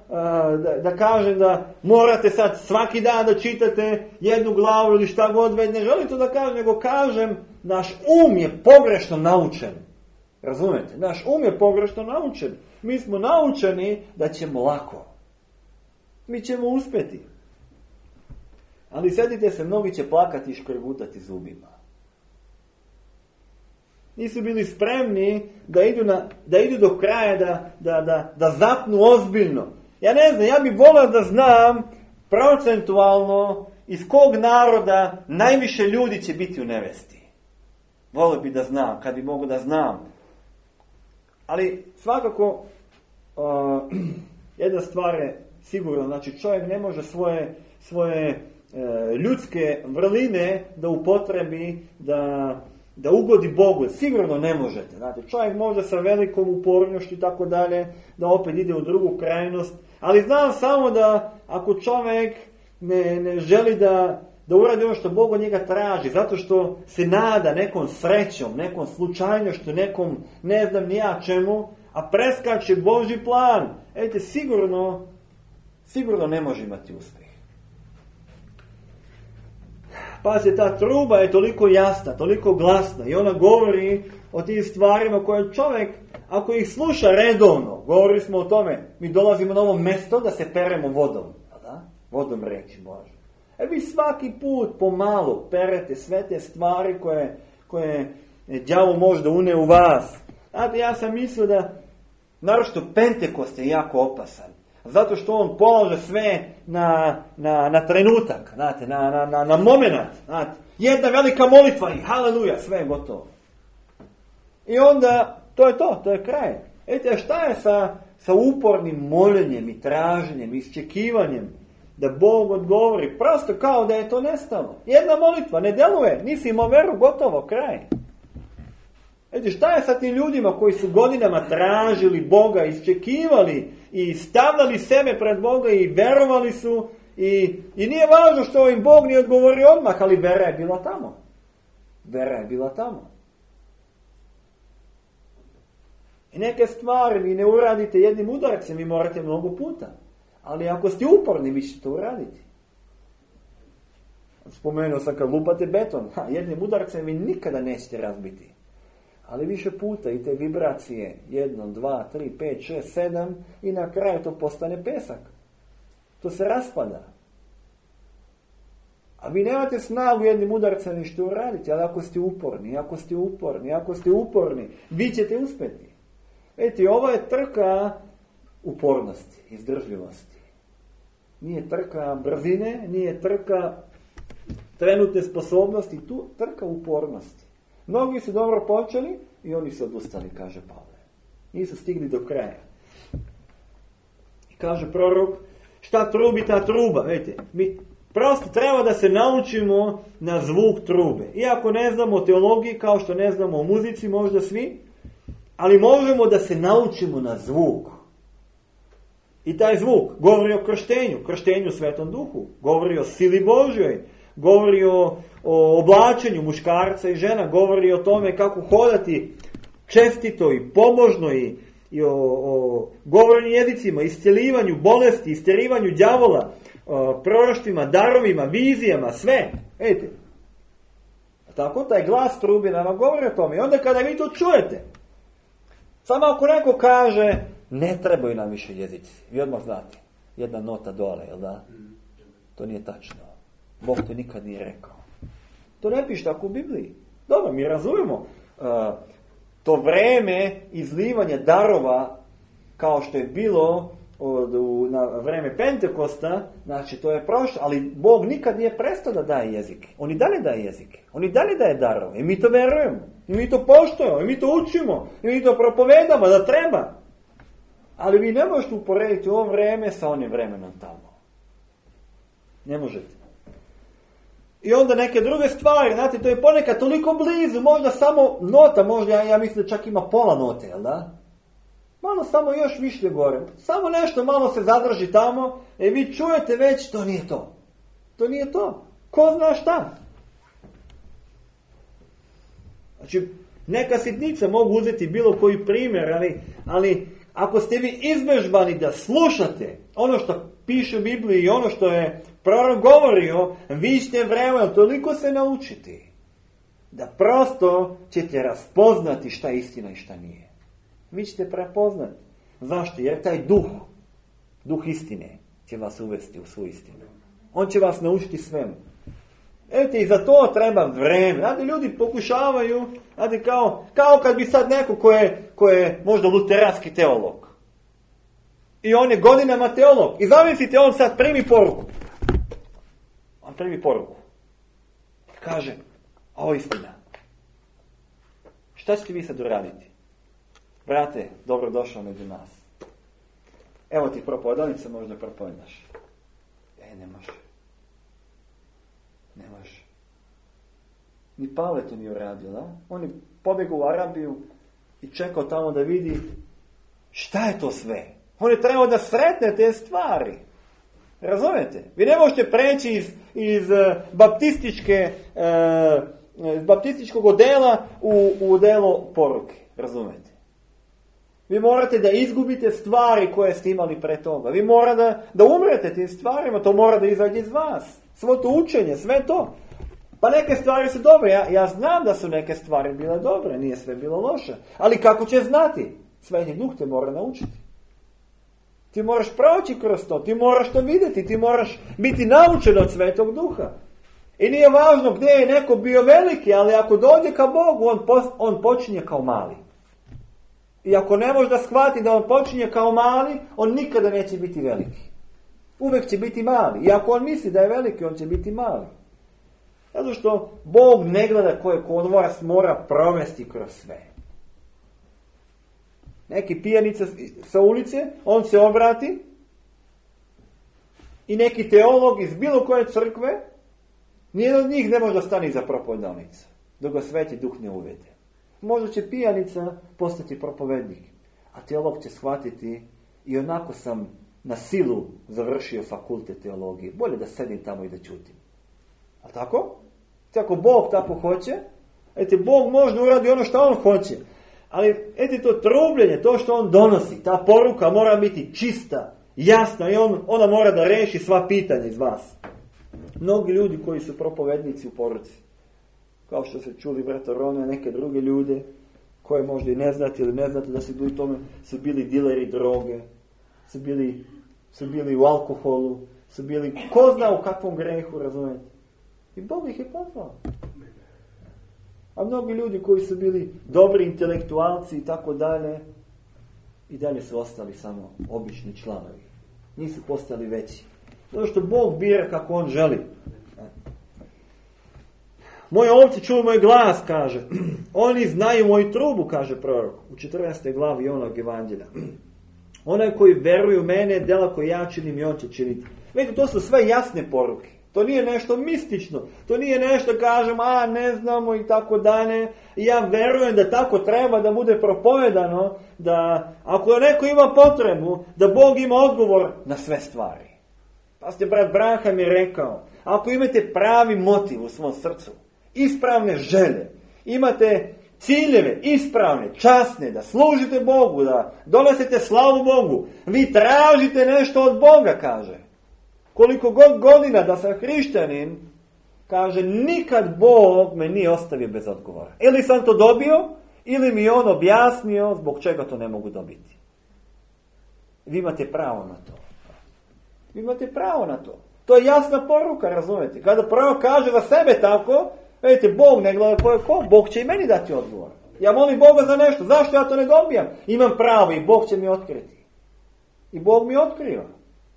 da, da kažem da morate sad svaki dan da čitate jednu glavu ili šta god već, ne želim to da kažem, nego kažem, naš um je pogrešno naučen. Razumijete? Naš um je pogrešno naučen. Mi smo naučeni da ćemo lako. Mi ćemo uspjeti. Ali sjetite se, mnogi će plakati i škrgutati zubima. Nisu bili spremni da idu, na, da idu do kraja, da, da, da, da zapnu ozbiljno. Ja ne znam, ja bih volio da znam procentualno iz kog naroda najviše ljudi će biti u nevesti. Volio bih da znam, kad bi mogu da znam. Ali svakako uh, jedna stvar je sigurno, znači čovjek ne može svoje, svoje uh, ljudske vrline da upotrebi, da da ugodi Bogu, sigurno ne možete. Znate, čovjek može sa velikom upornošću i tako dalje, da opet ide u drugu krajnost, ali znam samo da ako čovjek ne, ne želi da, da uradi ono što Bog od njega traži, zato što se nada nekom srećom, nekom slučajnošću, nekom ne znam ni ja čemu, a preskače Božji plan, ejte, sigurno, sigurno ne može imati uspjeh. Pazite, ta truba je toliko jasna, toliko glasna i ona govori o tim stvarima koje čovjek ako ih sluša redovno, govorili smo o tome, mi dolazimo na ovo mjesto da se peremo vodom, da? Vodom reći Bože. E vi svaki put pomalo perete sve te stvari koje, koje đavo možda une u vas. Znate, ja sam mislio da, naročito Pentekost je jako opasan. Zato što on polaže sve na, na, na trenutak, znate, na, na, na, na moment. Znate. Jedna velika molitva i haleluja, sve je gotovo. I onda, to je to, to je kraj. Ete, šta je sa, sa upornim moljenjem i traženjem, iščekivanjem da Bog odgovori? Prosto kao da je to nestalo. Jedna molitva, ne deluje, nisi imao veru, gotovo, kraj. Ete, šta je sa tim ljudima koji su godinama tražili Boga, iščekivali i stavljali sebe pred Boga i verovali su i, i nije važno što im Bog nije odgovorio odmah, ali vera je bila tamo. Vera je bila tamo. I neke stvari vi ne uradite jednim udarcem, vi morate mnogo puta. Ali ako ste uporni, vi ćete to uraditi. Spomenuo sam kad lupate beton, ha, jednim udarcem vi nikada nećete razbiti. Ali više puta i te vibracije, jednom, dva, tri, pet, šest, sedam i na kraju to postane pesak. To se raspada. A vi nemate snagu jednim udarcem ništa uraditi, ali ako ste uporni, ako ste uporni, ako ste uporni, vi ćete uspjeti. Vidite, ovo je trka upornosti, izdržljivosti. Nije trka brzine, nije trka trenutne sposobnosti, tu trka upornosti. Mnogi su dobro počeli i oni su odustali, kaže Pavle. Nisu stigli do kraja. I kaže prorok, šta trubi ta truba? Vidite, mi prosto treba da se naučimo na zvuk trube. Iako ne znamo o teologiji, kao što ne znamo o muzici, možda svi, ali možemo da se naučimo na zvuk. I taj zvuk govori o krštenju, krštenju u Svetom Duhu, govori o sili Božjoj, govori o, o oblačenju muškarca i žena, govori o tome kako hodati čestito i pobožno i, i o, o govorenju jezicima, iscjelivanju bolesti, isterivanju đavola, proroštvima, darovima, vizijama, sve. Vidite. Tako taj glas trube nama govori o tome. I onda kada vi to čujete, samo ako neko kaže, ne trebaju nam više jezici. Vi odmah znate, jedna nota dole, jel da? To nije tačno. Bog to nikad nije rekao. To ne piše tako u Bibliji. Dobro, mi razumijemo uh, to vreme izlivanja darova, kao što je bilo od, u, na vreme Pentekosta, znači to je prošlo, ali Bog nikad nije prestao da daje jezike. On i dalje daje jezike. On i dalje daje darove. I mi to verujemo. I mi to poštujemo. I mi to učimo. I mi to propovedamo da treba. Ali vi ne možete uporediti ovo vreme sa onim vremenom tamo. Ne možete. I onda neke druge stvari, znate, to je ponekad toliko blizu, možda samo nota, možda ja, ja mislim da čak ima pola note, jel da? Malo samo još više gore. Samo nešto malo se zadrži tamo, e vi čujete već, to nije to. To nije to. Ko zna šta? Znači, neka sitnica mogu uzeti bilo koji primjer, ali, ali ako ste vi izbežbani da slušate ono što piše u Bibliji i ono što je prorok govorio, vi ćete vremenom toliko se naučiti da prosto ćete raspoznati šta je istina i šta nije. Vi ćete prepoznati. Zašto? Jer taj duh, duh istine će vas uvesti u svu istinu. On će vas naučiti svemu. Eto, i za to treba vreme. Znate, ljudi pokušavaju, znate, kao, kao kad bi sad neko ko je, ko je možda luteranski teolog. I on je godinama teolog. I zamislite, on sad primi poruku. On primi poruku. Kaže, ovo je istina. Šta ćete vi sad uraditi? Brate, dobro došao među nas. Evo ti propovedalica, možda propovedaš. E, ne može. Ne može. Ni Pavle to nije uradio, da? On je pobjegao u Arabiju i čekao tamo da vidi šta je to sve. On je trebao da sretne te stvari. Razumete? Vi ne možete preći iz, iz baptističke, uh, iz baptističkog odela u, u odelo poruke. Razumete? Vi morate da izgubite stvari koje ste imali pre toga. Vi morate da, da umrete tim stvarima, to mora da izađe iz vas. Svo to učenje, sve to. Pa neke stvari su dobre. Ja, ja znam da su neke stvari bile dobre, nije sve bilo loše. Ali kako će znati? Sveti Duh te mora naučiti. Ti moraš proći kroz to, ti moraš to vidjeti, ti moraš biti naučen od Svetog Duha. I nije važno gdje je neko bio veliki, ali ako dođe ka Bogu, on, pos, on počinje kao mali. I ako ne može da shvati da on počinje kao mali, on nikada neće biti veliki. Uvijek će biti mali. I ako on misli da je veliki, on će biti mali. Zato što Bog ne gleda koje on vas mora provesti kroz sve. Neki pijanica sa ulice, on se obrati i neki teolog iz bilo koje crkve, nijedan od njih ne može da stane iza propovedalnica, dok ga Sveti Duh ne uvede. Možda će pijanica postati propovednik, a teolog će shvatiti i onako sam na silu završio fakultet teologije. Bolje da sedim tamo i da ćutim. A tako? Ako Bog tako hoće, ete, Bog može uradi ono što on hoće. Ali, ete, to trubljenje, to što on donosi, ta poruka mora biti čista, jasna i on, ona mora da reši sva pitanja iz vas. Mnogi ljudi koji su propovednici u poruci, kao što se čuli brata Rone, neke druge ljude, koje možda i ne znate ili ne znate da su bili tome, su bili dileri droge, su bili, su bili u alkoholu, su bili ko zna u kakvom grehu, razumijete. I Bog ih je pozvao. A mnogi ljudi koji su bili dobri intelektualci i tako dalje, i dalje su ostali samo obični članovi. Nisu postali veći. Zato što Bog bira kako on želi. Moje ovce čuju moj glas, kaže. Oni znaju moju trubu, kaže prorok. U četrnaestoj glavi onog evanđelja. Onaj koji veruje u mene, dela koje ja činim i on će činiti. Vidite, to su sve jasne poruke. To nije nešto mistično. To nije nešto, kažem, a ne znamo i tako dalje. I ja verujem da tako treba da bude propovedano, da ako neko ima potrebu, da Bog ima odgovor na sve stvari. Pa ste, brat Branham je rekao, ako imate pravi motiv u svom srcu, ispravne želje, imate ciljeve ispravne, časne, da služite Bogu, da donosite slavu Bogu, vi tražite nešto od Boga, kaže. Koliko god godina da sam hrišćanin, kaže, nikad Bog me nije ostavio bez odgovora. Ili sam to dobio, ili mi on objasnio zbog čega to ne mogu dobiti. Vi imate pravo na to. Vi imate pravo na to. To je jasna poruka, razumijete. Kada prvo kaže za sebe tako, vidite, Bog ne gleda ko je ko, Bog će i meni dati odgovor. Ja molim Boga za nešto, zašto ja to ne dobijam? Imam pravo i Bog će mi otkriti. I Bog mi otkriva.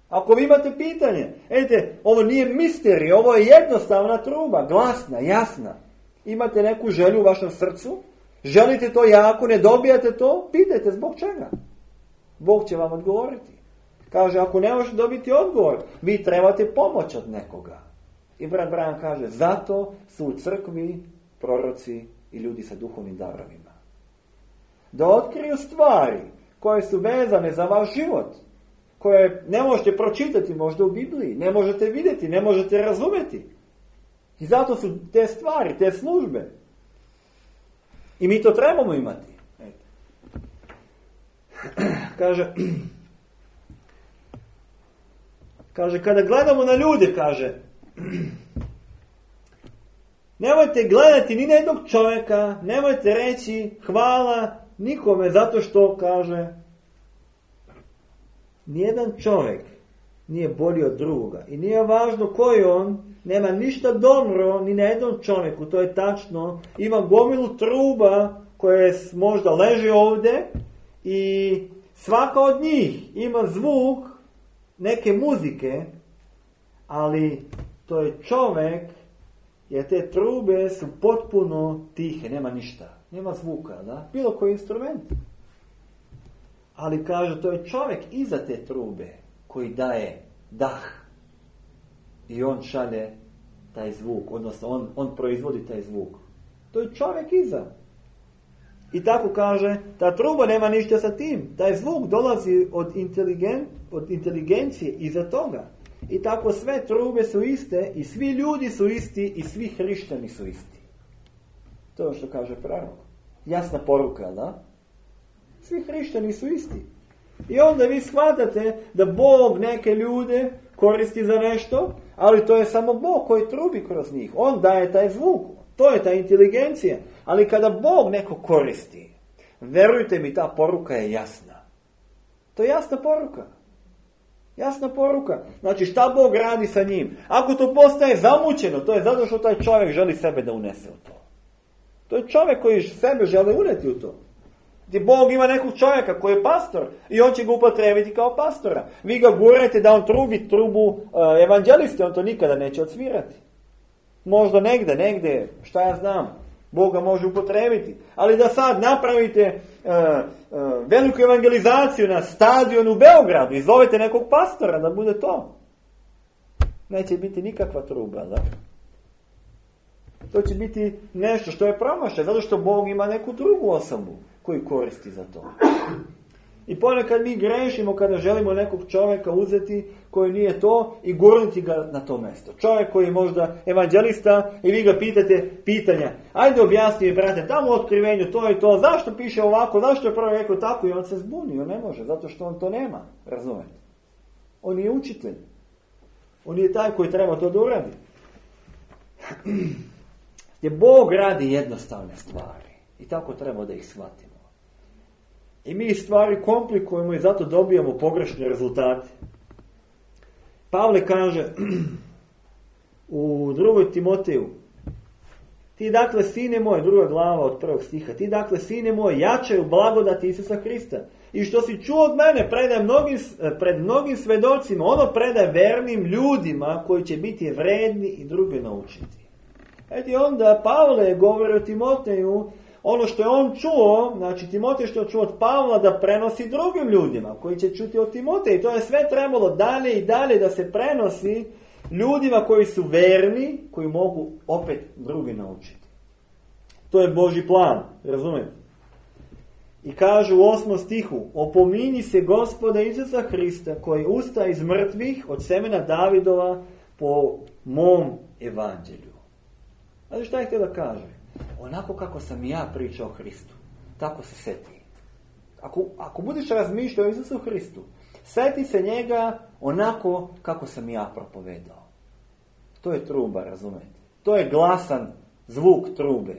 Ako vi imate pitanje, vidite, ovo nije misterij, ovo je jednostavna truba, glasna, jasna. Imate neku želju u vašem srcu, želite to jako, ne dobijate to, pitajte zbog čega. Bog će vam odgovoriti. Kaže, ako ne možete dobiti odgovor, vi trebate pomoć od nekoga. I brat Brian kaže, zato su u crkvi proroci i ljudi sa duhovnim darovima. Da otkriju stvari koje su vezane za vaš život, koje ne možete pročitati možda u Bibliji, ne možete vidjeti, ne možete razumjeti. I zato su te stvari, te službe. I mi to trebamo imati. Kaže, kaže, kada gledamo na ljude, kaže, nemojte gledati ni na jednog čovjeka, nemojte reći hvala nikome zato što, kaže, nijedan čovjek nije bolji od drugoga. I nije važno koji on, nema ništa dobro ni na jednom čovjeku, to je tačno. Ima gomilu truba koje možda leži ovdje i svaka od njih ima zvuk neke muzike, ali to je čovjek, jer te trube su potpuno tihe, nema ništa, nema zvuka, da? Bilo koji instrument. Ali kaže, to je čovjek iza te trube koji daje dah i on šalje taj zvuk, odnosno on, on proizvodi taj zvuk. To je čovjek iza. I tako kaže, ta truba nema ništa sa tim. Taj zvuk dolazi od, inteligen, od inteligencije iza toga. I tako sve trube su iste i svi ljudi su isti i svi hrišćani su isti. To je što kaže prorok. Jasna poruka, da? Svi hrišćani su isti. I onda vi shvatate da Bog neke ljude koristi za nešto, ali to je samo Bog koji trubi kroz njih. On daje taj zvuk. To je ta inteligencija. Ali kada Bog neko koristi, Verujte mi, ta poruka je jasna. To je jasna poruka. Jasna poruka. Znači šta Bog radi sa njim? Ako to postaje zamućeno, to je zato što taj čovjek želi sebe da unese u to. To je čovjek koji sebe želi uneti u to. Gdje Bog ima nekog čovjeka koji je pastor i on će ga upotrijebiti kao pastora. Vi ga gurajte da on trubi trubu uh, evanđeliste, on to nikada neće odsvirati. Možda negde, negde, šta ja znam, Bog ga može upotrijebiti. Ali da sad napravite uh, uh, veliku evangelizaciju na stadionu u Beogradu i zovete nekog pastora da bude to. Neće biti nikakva truba, da? To će biti nešto što je promašaj, zato što Bog ima neku drugu osobu koju koristi za to. I ponekad mi grešimo kada želimo nekog čovjeka uzeti koji nije to i gurnuti ga na to mjesto. Čovjek koji je možda evanđelista i vi ga pitate pitanja. Ajde objasni mi, brate, tamo u otkrivenju to i to, zašto piše ovako, zašto je prvo rekao tako, i on se zbuni, on ne može, zato što on to nema, razumete? On je učitelj. On je taj koji treba to da uradi. Gdje Bog radi jednostavne stvari i tako treba da ih shvatimo. I mi stvari komplikujemo i zato dobijamo pogrešne rezultate. Pavle kaže u drugoj Timoteju, ti dakle, sine moj, druga glava od prvog stiha, ti dakle, sine moj, jačaj u blagodati Isusa Hrista. I što si čuo od mene, predaj mnogim, pred mnogim svedocima, ono predaj vernim ljudima koji će biti vredni i druge naučiti. Eti onda Pavle govori o Timoteju, ono što je on čuo, znači Timotej što je čuo od Pavla da prenosi drugim ljudima koji će čuti od Timoteja. I to je sve trebalo dalje i dalje da se prenosi ljudima koji su verni, koji mogu opet drugi naučiti. To je Božji plan, razumijete? I kaže u osmom stihu, opominji se Gospoda Isusa Hrista koji ustaje iz mrtvih od semena Davidova po mom evanđelju. Znači šta je htio da kaže? Onako kako sam ja pričao o Hristu, tako se seti. Ako, ako budeš razmišljao o Isusu Hristu, seti se njega onako kako sam ja propovedao. To je truba, razumete? To je glasan zvuk trube.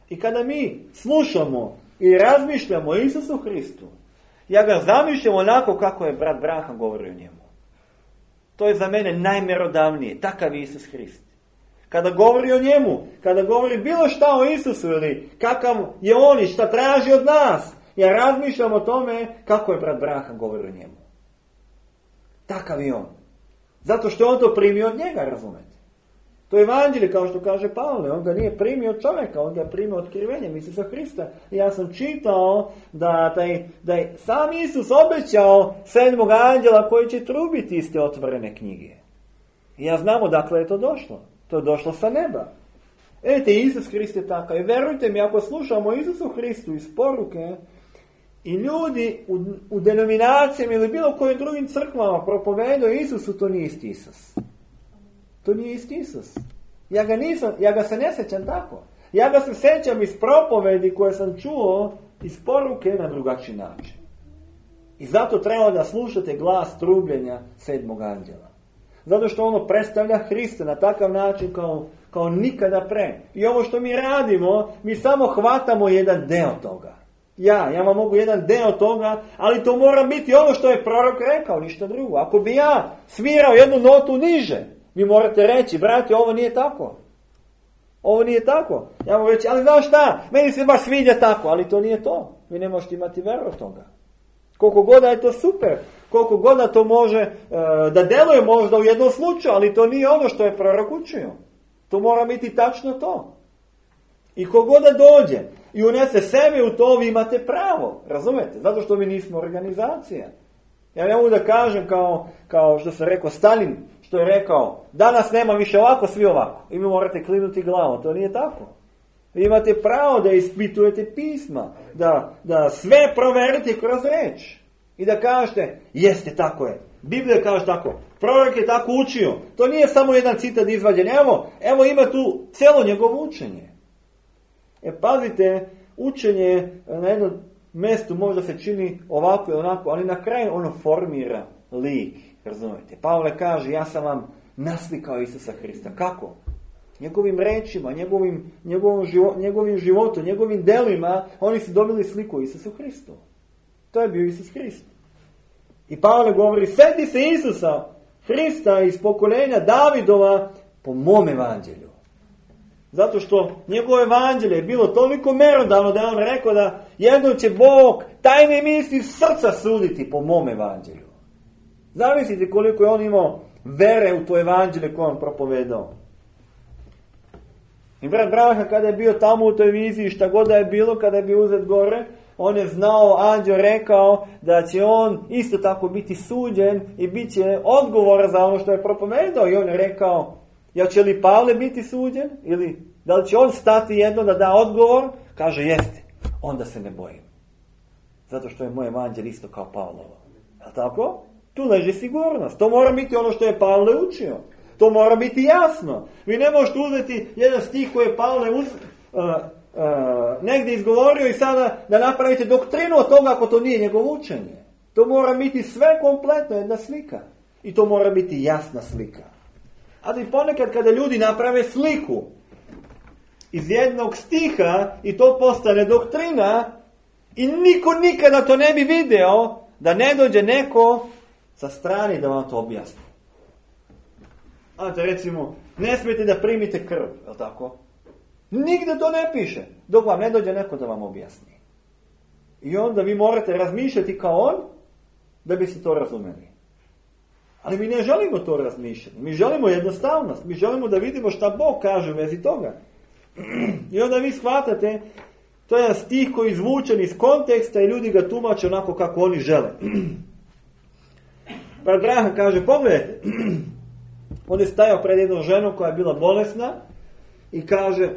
I kada mi slušamo i razmišljamo o Isusu Hristu, ja ga zamišljam onako kako je brat Branham govorio o njemu. To je za mene najmjerodavnije, takav je Isus Hrist. Kada govori o njemu, kada govori bilo šta o Isusu ili kakav je on i šta traži od nas, ja razmišljam o tome kako je brat Branham govorio o njemu. Takav je on. Zato što on to primio od njega, razumete? To je evanđelje, kao što kaže Pavle, on ga nije primio od čovjeka, on ga primio otkrivenjem Isusa Hrista. I ja sam čitao da, taj, da je sam Isus obećao sedmog anđela koji će trubiti iz te otvorene knjige. I ja znamo dakle je to došlo. To je došlo sa neba. Vidite, Isus Hrist je takav. I verujte mi, ako slušamo Isusu Hristu iz poruke i ljudi u, u denominacijama ili bilo kojim drugim crkvama propovedaju Isusu, to nije isti Isus. To nije isti Isus. Ja ga, nisam, ja ga se ne sjećam tako. Ja ga se sjećam iz propovedi koje sam čuo iz poruke na drugačiji način. I zato treba da slušate glas trubljenja sedmog anđela. Zato što ono predstavlja Hrista na takav način kao, kao nikada pre. I ovo što mi radimo, mi samo hvatamo jedan deo toga. Ja, ja vam mogu jedan deo toga, ali to mora biti ono što je prorok rekao, ništa drugo. Ako bi ja svirao jednu notu niže, vi morate reći, brate, ovo nije tako. Ovo nije tako. Ja mogu reći, ali znaš šta, meni se baš sviđa tako, ali to nije to. Vi ne možete imati veru od toga. Koliko god je to super, koliko god to može e, da deluje možda u jednom slučaju, ali to nije ono što je prorok učio. To mora biti tačno to. I kogod da dođe i unese sebe u to, vi imate pravo, razumete? Zato što mi nismo organizacija. Ja ne mogu da kažem kao, kao što sam rekao Stalin, što je rekao, danas nema više ovako, svi ovako. I vi morate klinuti glavom, to nije tako. Vi imate pravo da ispitujete pisma, da, da sve proverite kroz reč. I da kažete, jeste, tako je. Biblija kaže tako, prorok je tako učio. To nije samo jedan citat izvađen. Evo, evo ima tu cijelo njegovo učenje. E pazite, učenje na jednom mjestu možda se čini ovako i onako, ali na kraju ono formira lik. Razumijete? Pavle kaže, ja sam vam naslikao Isusa Hrista. Kako? njegovim rečima, njegovim, njegovim, život, njegovim životom, njegovim delima, oni su dobili sliku Isusu Hristu. To je bio Isus Hrist. I Pavle govori, sjeti se Isusa Hrista iz pokoljenja Davidova po mom evanđelju. Zato što njegovo evanđelje je bilo toliko merodavno da je on rekao da jednom će Bog tajne misli srca suditi po mom evanđelju. Zamislite koliko je on imao vere u to evanđelje koje on propovedao. I brat Branham kada je bio tamo u toj viziji, šta god da je bilo, kada je bio uzet gore, on je znao, anđeo rekao da će on isto tako biti suđen i bit će odgovor za ono što je propovedao. I on je rekao, ja će li Pavle biti suđen? Ili da li će on stati jedno da da odgovor? Kaže, jeste. Onda se ne bojim. Zato što je moj evanđelje isto kao Pavlovo. Je li tako? Tu leži sigurnost. To mora biti ono što je Pavle učio. To mora biti jasno. Vi ne možete uzeti jedan stih koji je Pavle uz, uh, uh, negdje izgovorio i sada da napravite doktrinu od toga ako to nije njegovo učenje. To mora biti sve kompletno, jedna slika. I to mora biti jasna slika. Ali ponekad kada ljudi naprave sliku iz jednog stiha i to postane doktrina i niko nikada to ne bi video, da ne dođe neko sa strane da vam to objasni. Znate, recimo, ne smijete da primite krv, je li tako? Nigde to ne piše, dok vam ne dođe neko da vam objasni. I onda vi morate razmišljati kao on, da biste to razumeli. Ali mi ne želimo to razmišljati. Mi želimo jednostavnost. Mi želimo da vidimo šta Bog kaže u vezi toga. I onda vi shvatate, to je jedan stih koji je izvučen iz konteksta i ljudi ga tumače onako kako oni žele. Brat Branham kaže, pogledajte, on je stajao pred jednom ženom koja je bila bolesna i kaže,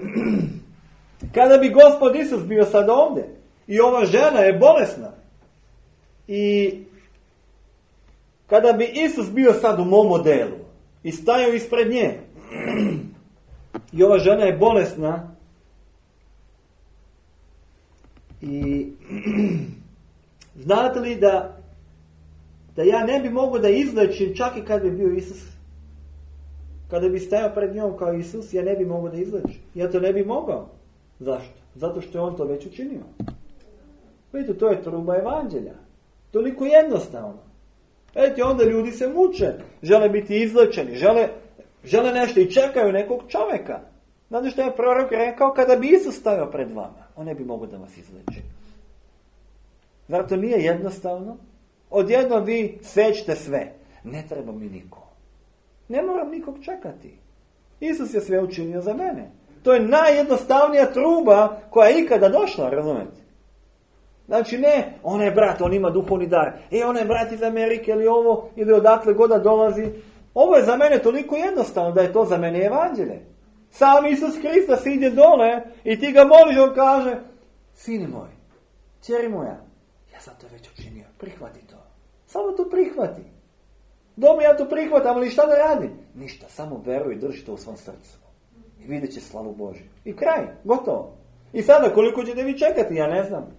kada bi Gospod Isus bio sad ovdje i ova žena je bolesna i kada bi Isus bio sad u mom modelu i stajao ispred nje i ova žena je bolesna i znate li da da ja ne bi mogao da izlečim čak i kad bi bio Isus. Kada bi stajao pred njom kao Isus, ja ne bi mogao da izlečim. Ja to ne bi mogao. Zašto? Zato što je on to već učinio. Vidite, to je truba evanđelja. Toliko jednostavno. Vidite, onda ljudi se muče. Žele biti izlečeni. Žele, žele nešto i čekaju nekog čovjeka. Znate što je prorok rekao? Kada bi Isus stajao pred vama, on ne bi mogao da vas izleči. Zar to nije jednostavno? Odjedno vi svećete sve. Ne treba mi niko. Ne moram nikog čekati. Isus je sve učinio za mene. To je najjednostavnija truba koja je ikada došla, razumete? Znači ne, on je brat, on ima duhovni dar. E, on je brat iz Amerike ili ovo, ili odakle god da dolazi. Ovo je za mene toliko jednostavno da je to za mene evanđelje. Sam Isus Hrista siđe dole i ti ga moliš, on kaže, sine moj, ćeri moja, ja sam to već učinio, prihvati to. Samo to prihvati. Dobro, ja to prihvatam, ali šta da radim? Ništa, samo veruj i drži to u svom srcu. I vidjet će slavu Božju. I kraj, gotovo. I sada koliko ćete vi čekati, ja ne znam.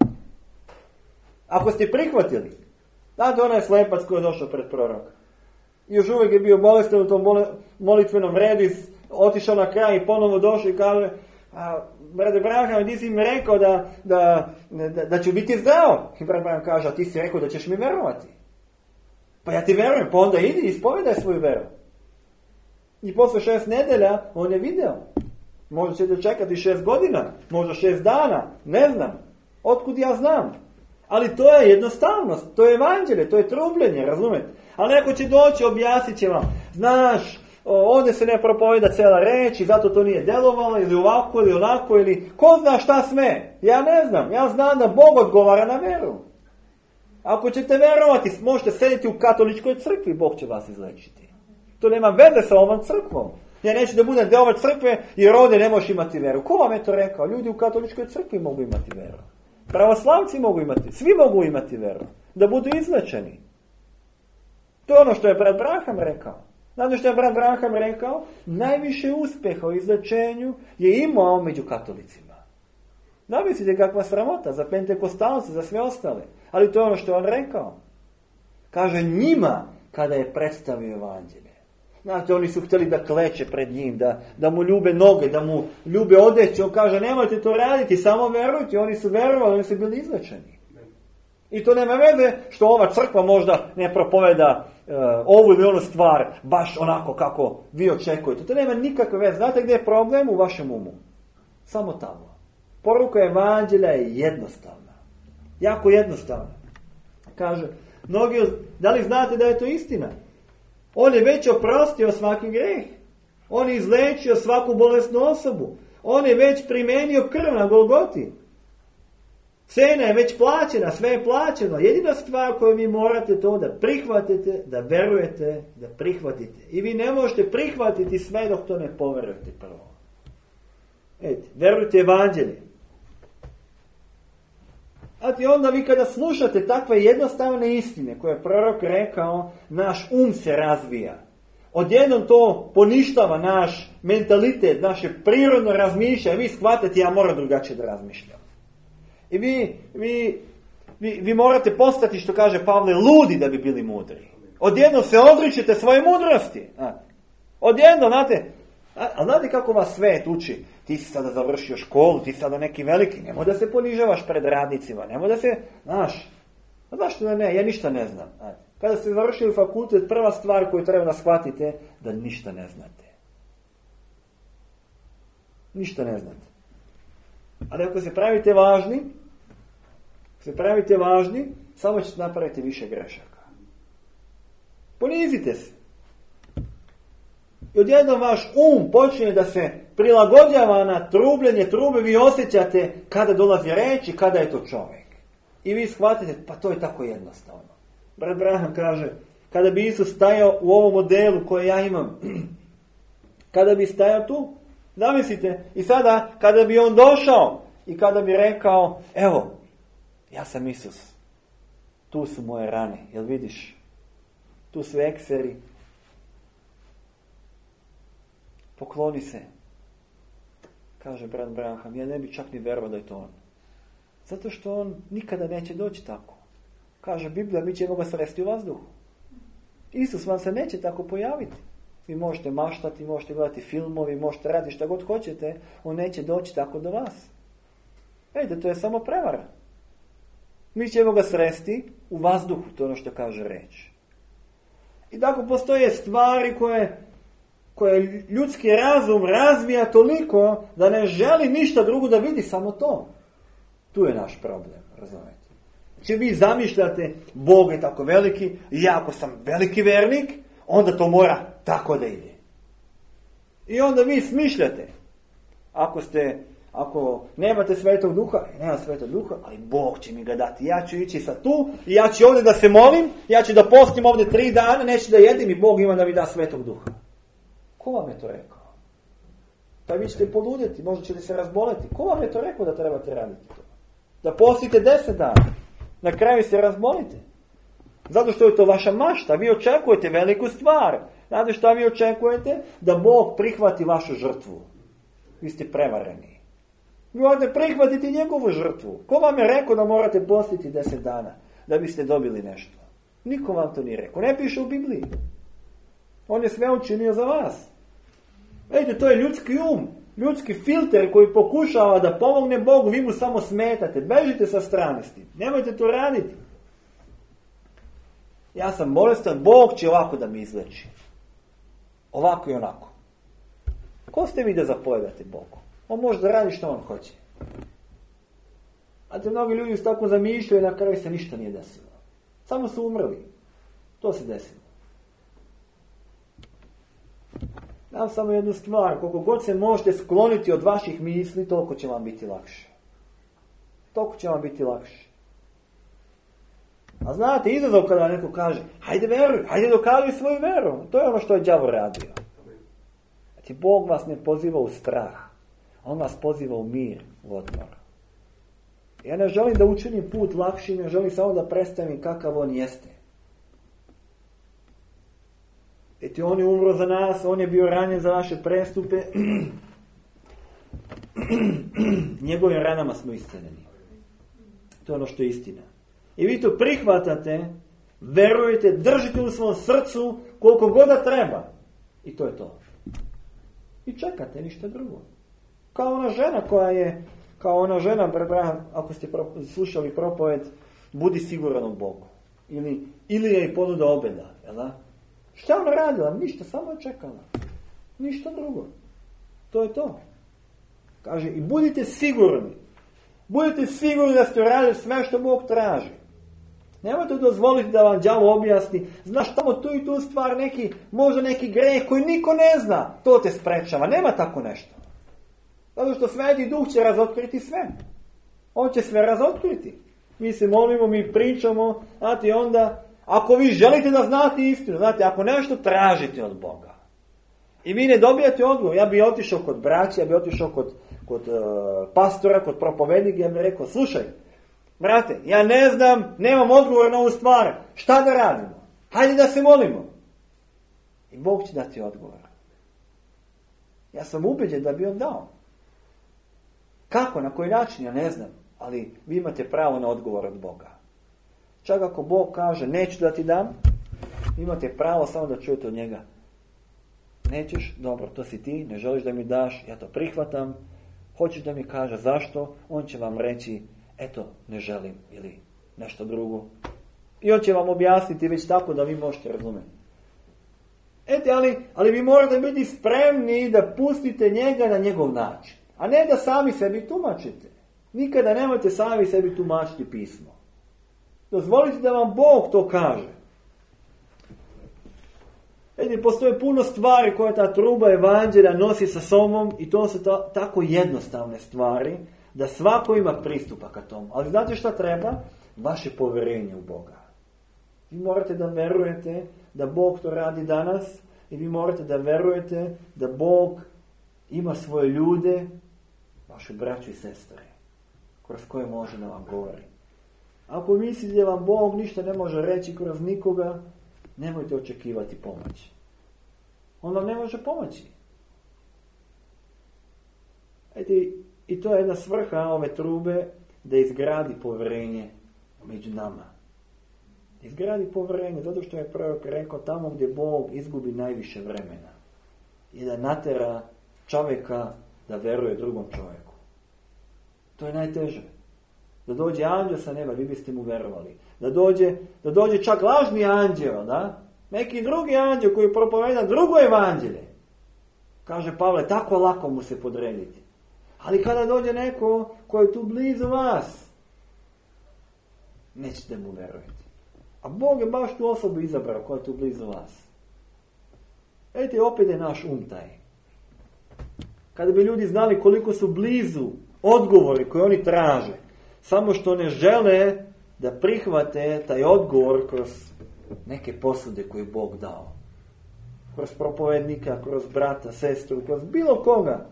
Ako ste prihvatili, znate onaj slepac koji je došao pred proroka. Još uvijek je bio bolestan u tom molitvenom redu, otišao na kraj i ponovo došao i kaže, a, brate Branham, ti si mi rekao da, da, da, da ću biti zdrav. I brat Branham kaže, a ti si rekao da ćeš mi verovati. Pa ja ti verujem, pa onda idi i ispovedaj svoju veru. I posle šest nedelja on je video. Možda ćete čekati šest godina, možda šest dana, ne znam. Otkud ja znam? Ali to je jednostavnost, to je evanđelje, to je trubljenje, razumete? Ali neko će doći, objasnit će vam, znaš, ovdje se ne propoveda cijela reč i zato to nije delovalo, ili ovako, ili onako, ili ko zna šta sme? Ja ne znam, ja znam da Bog odgovara na veru. Ako ćete verovati, možete sedjeti u katoličkoj crkvi, Bog će vas izlečiti. To nema veze sa ovom crkvom. Ja neću da budem deo ove crkve jer ovdje ne možeš imati veru. Ko vam je to rekao? Ljudi u katoličkoj crkvi mogu imati veru. Pravoslavci mogu imati, svi mogu imati veru. Da budu izlečeni. To je ono što je brat Branham rekao. Znate što je brat Branham rekao? Najviše uspjeha u izlečenju je imao među katolicima. Zamislite kakva sramota za pentekostalce, za sve ostale. Ali to je ono što je on rekao. Kaže njima kada je predstavio evanđelje. Znate, oni su htjeli da kleče pred njim, da, da mu ljube noge, da mu ljube odeću. On kaže, nemojte to raditi, samo verujte. Oni su verovali, oni su bili izlečeni. I to nema veze što ova crkva možda ne propoveda uh, ovu ili onu stvar baš onako kako vi očekujete. To nema nikakve veze. Znate gdje je problem? U vašem umu. Samo tamo. Poruka evanđelja je jednostavna. Jako jednostavna. Kaže, mnogi, da li znate da je to istina? On je već oprostio svaki greh. On je izlečio svaku bolesnu osobu. On je već primenio krv na Golgoti. Cena je već plaćena, sve je plaćeno. Jedina stvar koju vi morate to da prihvatite, da verujete, da prihvatite. I vi ne možete prihvatiti sve dok to ne poverujete prvo. Eti, verujte evanđelje. A ti onda vi kada slušate takve jednostavne istine koje je prorok rekao, naš um se razvija. Odjednom to poništava naš mentalitet, naše prirodno razmišljanje. Vi shvatate, ja moram drugačije da razmišljam. I vi, vi, vi, vi morate postati, što kaže Pavle, ludi da bi bili mudri. Odjednom se odričete svoje mudrosti. Odjednom, znate, a znate kako vas svet uči? Ti si sada završio školu, ti si sada neki veliki, nemoj da se ponižavaš pred radnicima, nemoj da se, znaš, a zašto da ne, ja ništa ne znam. Kada ste završili fakultet, prva stvar koju treba da shvatite, da ništa ne znate. Ništa ne znate. Ali ako se pravite važni, ako se pravite važni, samo ćete napraviti više grešaka. Ponizite se. I odjednom vaš um počinje da se prilagođava na trubljenje trube, vi osjećate kada dolazi reč i kada je to čovjek. I vi shvatite, pa to je tako jednostavno. Brat Branham kaže, kada bi Isus stajao u ovom modelu koje ja imam, kada bi stajao tu, zamislite, i sada kada bi on došao i kada bi rekao, evo, ja sam Isus, tu su moje rane, jel vidiš, tu su ekseri, pokloni se. Kaže brat Branham, ja ne bi čak ni verovao da je to on. Zato što on nikada neće doći tako. Kaže Biblija, mi ćemo ga sresti u vazduhu. Isus vam se neće tako pojaviti. Vi možete maštati, možete gledati filmovi, možete raditi šta god hoćete, on neće doći tako do vas. Ejde, to je samo prevara. Mi ćemo ga sresti u vazduhu, to je ono što kaže reč. I tako postoje stvari koje, koje ljudski razum razvija toliko da ne želi ništa drugo da vidi, samo to. Tu je naš problem, razumijete. Če vi zamišljate, Bog je tako veliki, i ja ako sam veliki vernik, onda to mora tako da ide. I onda vi smišljate. Ako ste, ako nemate Svetog Duha, nema Svetog Duha, ali Bog će mi ga dati. Ja ću ići sa tu, i ja ću ovdje da se molim, ja ću da postim ovdje tri dana, neću da jedim i Bog ima da mi da Svetog Duha. Ko vam je to rekao? Pa vi ćete poludjeti, možda ćete se razboleti. Ko vam je to rekao da trebate raditi to? Da postite deset dana. Na kraju se razbolite. Zato što je to vaša mašta. Vi očekujete veliku stvar. Znate šta vi očekujete? Da Bog prihvati vašu žrtvu. Vi ste prevareni. Vi morate prihvatiti njegovu žrtvu. Ko vam je rekao da morate postiti deset dana da biste dobili nešto? Niko vam to nije rekao. Ne piše u Bibliji. On je sve učinio za vas. Vidite, to je ljudski um. Ljudski filter koji pokušava da pomogne Bogu, vi mu samo smetate. Bežite sa strane s tim. Nemojte to raditi. Ja sam bolestan, Bog će ovako da mi izleči. Ovako i onako. Ko ste vi da zapovedate Bogu? On može da radi što on hoće. A te mnogi ljudi su tako zamišljaju i na kraju se ništa nije desilo. Samo su umrli. To se desilo. Dam samo jednu stvar, koliko god se možete skloniti od vaših misli, toliko će vam biti lakše. Toliko će vam biti lakše. A znate, izazov kada neko kaže, hajde veruj, hajde dokaži svoju veru. To je ono što je đavo radio. Znači, Bog vas ne poziva u strah. On vas poziva u mir, u odmor. Ja ne želim da učinim put lakši, ne želim samo da predstavim kakav on jeste. Eti on je umro za nas, on je bio ranjen za naše prestupe. Njegovim ranama smo isceljeni. To je ono što je istina. I vi to prihvatate, verujete, držite u svom srcu koliko god da treba. I to je to. I čekate, ništa drugo. Kao ona žena koja je, kao ona žena, ako ste slušali propoved, budi siguran u Bogu. Ili, ili je i ponuda obeda. Jel da? Šta ona radila? Ništa, samo je čekala. Ništa drugo. To je to. Kaže, i budite sigurni. Budite sigurni da ste radili sve što Bog traži. Nemojte dozvoliti da vam đavo objasni, znaš tamo tu i tu stvar, neki, možda neki greh koji niko ne zna, to te sprečava. Nema tako nešto. Zato što Sveti Duh će razotkriti sve. On će sve razotkriti. Mi se molimo, mi pričamo, znate, onda, ako vi želite da znate istinu, znate, ako nešto tražite od Boga, i vi ne dobijate odgovor, ja bi otišao kod braća, ja bi otišao kod, kod uh, pastora, kod propovednika, ja bih rekao, slušaj, brate, ja ne znam, nemam odgovor na ovu stvar, šta da radimo? Hajde da se molimo. I Bog će dati odgovor. Ja sam ubeđen da bi on dao. Kako, na koji način, ja ne znam, ali vi imate pravo na odgovor od Boga. Čak ako Bog kaže, neću da ti dam, imate pravo samo da čujete od njega. Nećeš, dobro, to si ti, ne želiš da mi daš, ja to prihvatam, hoćeš da mi kaže zašto, on će vam reći, eto, ne želim, ili nešto drugo. I on će vam objasniti već tako da vi možete razumjeti. Ete, ali, ali vi morate biti spremni da pustite njega na njegov način. A ne da sami sebi tumačite. Nikada nemojte sami sebi tumačiti pismo. Dozvolite da vam Bog to kaže. Ete, postoje puno stvari koje ta truba evanđelja nosi sa sobom i to su ta, tako jednostavne stvari da svako ima pristupa ka tomu. Ali znate šta treba? Vaše povjerenje u Boga. Vi morate da verujete da Bog to radi danas i vi morate da verujete da Bog ima svoje ljude, vaše braću i sestre, kroz koje može da vam govori. Ako mislite da vam Bog ništa ne može reći kroz nikoga, nemojte očekivati pomoć. On vam ne može pomoći. Ete, i to je jedna svrha ove trube, da izgradi povjerenje među nama. Izgradi povjerenje, zato što je prorok rekao, tamo gdje Bog izgubi najviše vremena. I da natera čovjeka da veruje drugom čovjeku. To je najteže. Da dođe anđeo sa neba, vi biste mu verovali. Da dođe, da dođe čak lažni anđeo, da? Neki drugi anđeo koji propoveda drugo evanđelje. Kaže Pavle, tako lako mu se podrediti. Ali kada dođe neko koji je tu blizu vas, nećete mu verovati. A Bog je baš tu osobu izabrao koja je tu blizu vas. Ejte, opet je naš um taj. Kada bi ljudi znali koliko su blizu odgovori koje oni traže, samo što ne žele da prihvate taj odgovor kroz neke posude koje je Bog dao. Kroz propovednika, kroz brata, sestru, kroz bilo koga.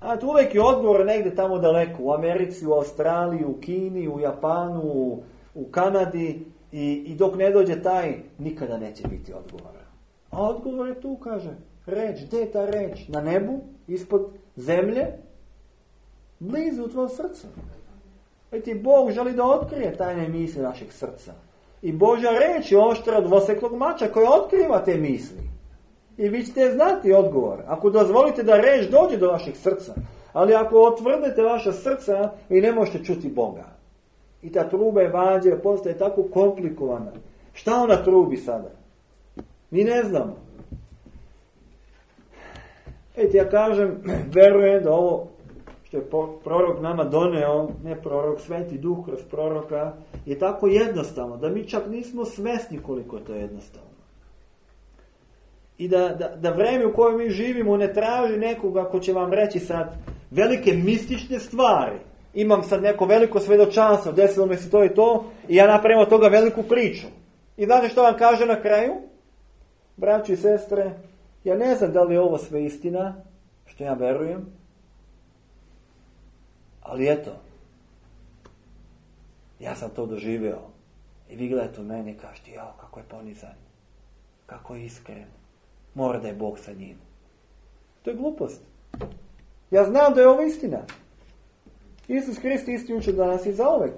A tu uvijek je odgovor negdje tamo daleko, u Americi, u Australiji, u Kini, u Japanu, u, u Kanadi i, i dok ne dođe taj, nikada neće biti odgovora. A odgovor je tu, kaže, reč, gdje je ta reč? Na nebu, ispod zemlje, blizu u tvojom srcu. I ti Bog želi da otkrije tajne misli našeg srca. I Božja reč je oštra od dvoseklog mača koja otkriva te misli. I vi ćete znati odgovor. Ako dozvolite da reč dođe do vašeg srca. Ali ako otvrdete vaša srca, vi ne možete čuti Boga. I ta truba evanđelja postaje tako komplikovana. Šta ona trubi sada? Mi ne znamo. Eti, ja kažem, verujem da ovo što je prorok nama doneo, ne prorok, Sveti Duh kroz proroka, je tako jednostavno, da mi čak nismo svesni koliko je to jednostavno. I da, da, da vreme u kojem mi živimo ne traži nekoga ko će vam reći sad velike mistične stvari. Imam sad neko veliko svedočanstvo, desilo mi se to i to, i ja napravim od toga veliku priču. I znate što vam kaže na kraju? Braći i sestre, ja ne znam da li je ovo sve istina, što ja verujem, ali eto, ja sam to doživio. I vi gledate u mene i kažete, jao, kako je ponizan, kako je iskren, mora da je Bog sa njim. To je glupost. Ja znam da je ovo istina. Isus Hrist isti uče danas i zauvek.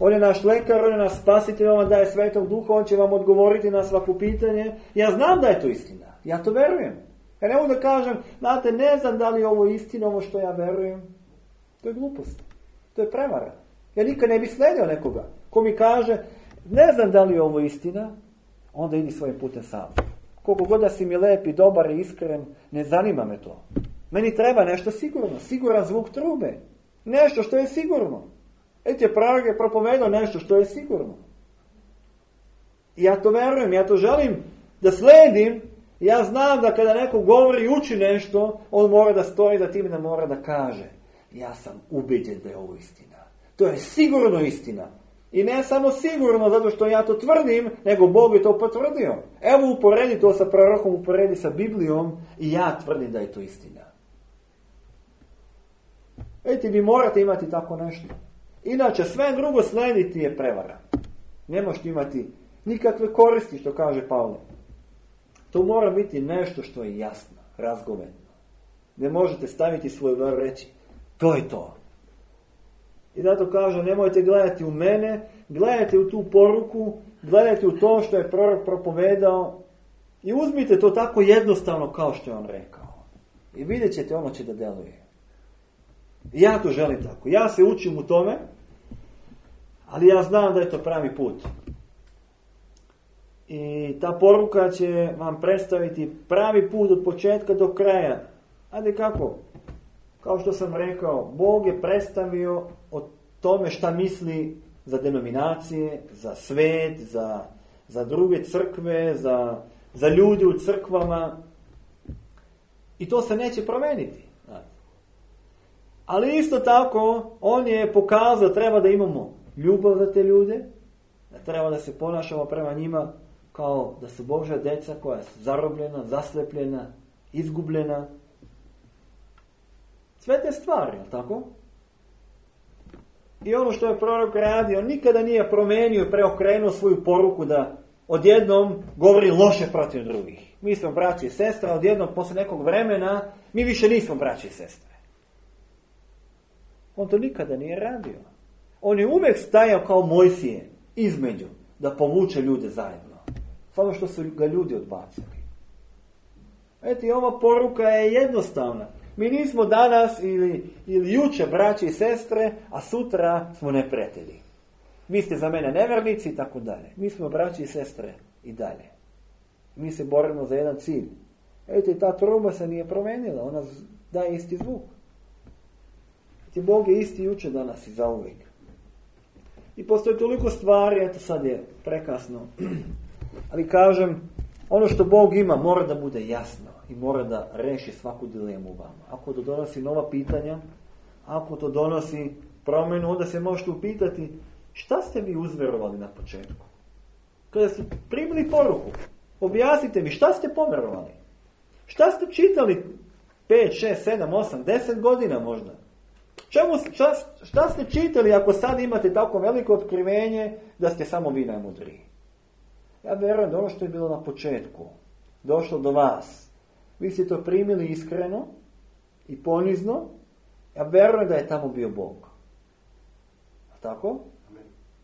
On je naš lekar, on je naš spasitelj, on vam daje Svetog Duha, on će vam odgovoriti na svako pitanje. Ja znam da je to istina. Ja to verujem. Ja ne mogu da kažem, znate, ne znam da li je ovo istina, ovo što ja verujem. To je glupost. To je prevara. Ja nikad ne bi sledio nekoga ko mi kaže, ne znam da li je ovo istina, onda idi svojim putem sam. Koliko god da si mi lep i dobar i iskren, ne zanima me to. Meni treba nešto sigurno, siguran zvuk trube. Nešto što je sigurno. Eti prorok je propovedao nešto što je sigurno. I ja to verujem, ja to želim da sledim. Ja znam da kada neko govori i uči nešto, on mora da stoji, da tim ne mora da kaže. Ja sam ubeđen da je ovo istina. To je sigurno istina. I ne samo sigurno zato što ja to tvrdim, nego Bog je to potvrdio. Evo uporedi to sa prorokom, uporedi sa Biblijom i ja tvrdim da je to istina. Eti, vi morate imati tako nešto. Inače, sve drugo slediti je prevara. Ne možete imati nikakve koristi, što kaže Pavle. To mora biti nešto što je jasno, razgovedno. Ne možete staviti svoju veru reći, to je to. I zato kaže, nemojte gledati u mene, gledajte u tu poruku, gledajte u to što je prorok propovedao i uzmite to tako jednostavno kao što je on rekao. I vidjet ćete, ono će da deluje. I ja to želim tako. Ja se učim u tome, ali ja znam da je to pravi put. I ta poruka će vam predstaviti pravi put od početka do kraja. Ajde kako? Kao što sam rekao, Bog je predstavio o tome šta misli za denominacije, za svet, za, za druge crkve, za, za ljude u crkvama. I to se neće promeniti. Ali isto tako, on je pokazao da treba da imamo ljubav za te ljude, da treba da se ponašamo prema njima kao da su Božja deca koja su zarobljena, zaslepljena, izgubljena. Sve te stvari, je li tako? I ono što je prorok radio, nikada nije promenio i preokrenuo svoju poruku da odjednom govori loše protiv drugih. Mi smo braći i sestre, a odjednom posle nekog vremena mi više nismo braći i sestre. On to nikada nije radio. On je uvijek stajao kao Mojsije između da povuče ljude zajedno. Samo što su ga ljudi odbacili. Eto, ova poruka je jednostavna. Mi nismo danas ili, ili juče braći i sestre, a sutra smo neprijatelji. Vi ste za mene nevernici i tako dalje. Mi smo braći i sestre i dalje. Mi se borimo za jedan cilj. Eto, ta truba se nije promenila. Ona daje isti zvuk. Eto, Bog je isti juče, danas i zauvijek. I postoje toliko stvari, eto sad je prekasno. Ali kažem, ono što Bog ima mora da bude jasno i mora da reši svaku dilemu u vama. Ako to donosi nova pitanja, ako to donosi promjenu, onda se možete upitati šta ste vi uzverovali na početku. Kada ste primili poruku, objasnite mi šta ste poverovali. Šta ste čitali pet, šest, sedam, osam, deset godina možda. Čemu, šta, šta ste čitali ako sad imate tako veliko otkrivenje da ste samo vi najmudriji? Ja vjerujem da ono što je bilo na početku došlo do vas. Vi ste to primili iskreno i ponizno. Ja vjerujem da je tamo bio Bog. A tako?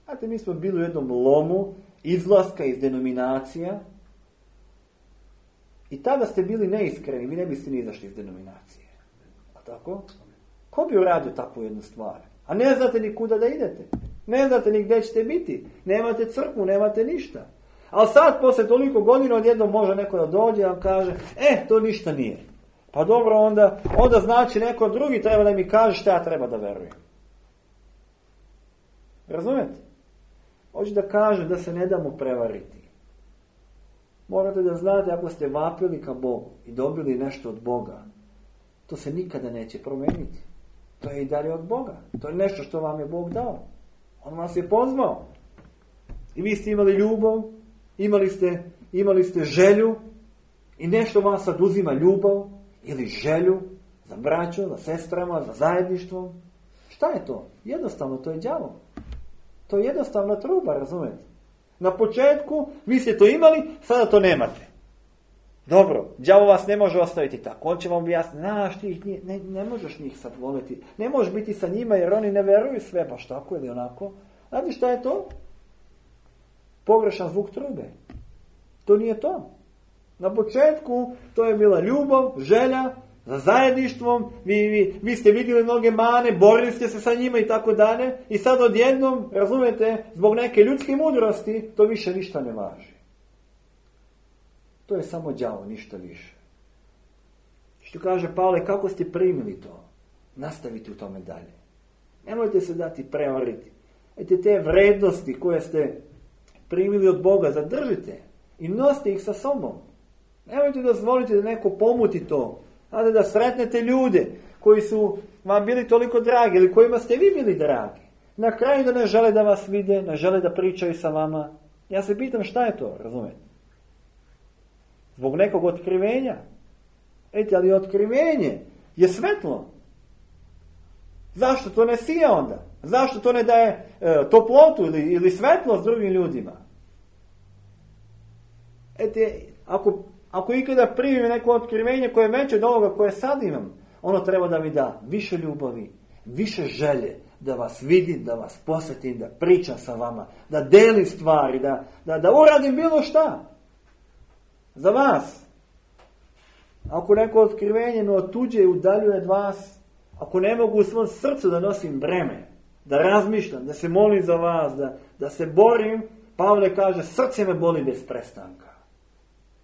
Znate, mi smo bili u jednom lomu izlaska iz denominacija i tada ste bili neiskreni, vi ne biste ni izašli iz denominacije. A tako? Ko bi uradio takvu jednu stvar? A ne znate ni kuda da idete. Ne znate ni gdje ćete biti. Nemate crkvu, nemate ništa. Ali sad, poslije toliko godina, odjednom može neko da dođe i vam kaže, e, to ništa nije. Pa dobro, onda, onda znači neko drugi treba da mi kaže šta ja treba da verujem. Razumete? Hoću da kažem da se ne damo prevariti. Morate da znate, ako ste vapili ka Bogu i dobili nešto od Boga, to se nikada neće promijeniti. To je i dalje od Boga. To je nešto što vam je Bog dao. On vas je pozvao. I vi ste imali ljubav, imali ste, imali ste želju i nešto vas sad uzima ljubav ili želju za braćom, za sestrama, za zajedništvom. Šta je to? Jednostavno, to je đavo. To je jednostavna truba, razumijete? Na početku vi ste to imali, sada to nemate. Dobro, đavo vas ne može ostaviti tako. On će vam objasniti, znaš ti ih ne, ne možeš njih sad voliti. Ne možeš biti sa njima jer oni ne veruju sve, baš tako ili onako. Znate šta je to? Pogrešan zvuk trube. To nije to. Na početku to je bila ljubav, želja za zajedništvom, vi, vi, vi ste vidjeli mnoge mane, borili ste se sa njima i tako dalje, i sad odjednom, razumijete, zbog neke ljudske mudrosti, to više ništa ne važi. To je samo đavo, ništa više. Što kaže Pavle, kako ste primili to? Nastavite u tome dalje. Nemojte se dati prevariti. Ete te vrednosti koje ste primili od Boga, zadržite i nosite ih sa sobom. Nemojte dozvoliti da neko pomuti to. Znate, da sretnete ljude koji su vam bili toliko dragi ili kojima ste vi bili dragi. Na kraju da ne žele da vas vide, ne žele da pričaju sa vama. Ja se pitam šta je to, razumete? Zbog nekog otkrivenja. Ejte, ali otkrivenje je svetlo. Zašto to ne sija onda? Zašto to ne daje e, toplotu ili, ili svetlost drugim ljudima? Ete, ako, ako ikada primim neko otkrivenje koje je veće od ovoga koje sad imam, ono treba da mi da više ljubavi, više želje, da vas vidim, da vas posjetim, da pričam sa vama, da delim stvari, da, da, da uradim bilo šta. Za vas. Ako neko otkrivenje me otuđe i udaljuje od vas, ako ne mogu u svom srcu da nosim breme, da razmišljam, da se molim za vas, da, da se borim, Pavle kaže, srce me boli bez prestanka.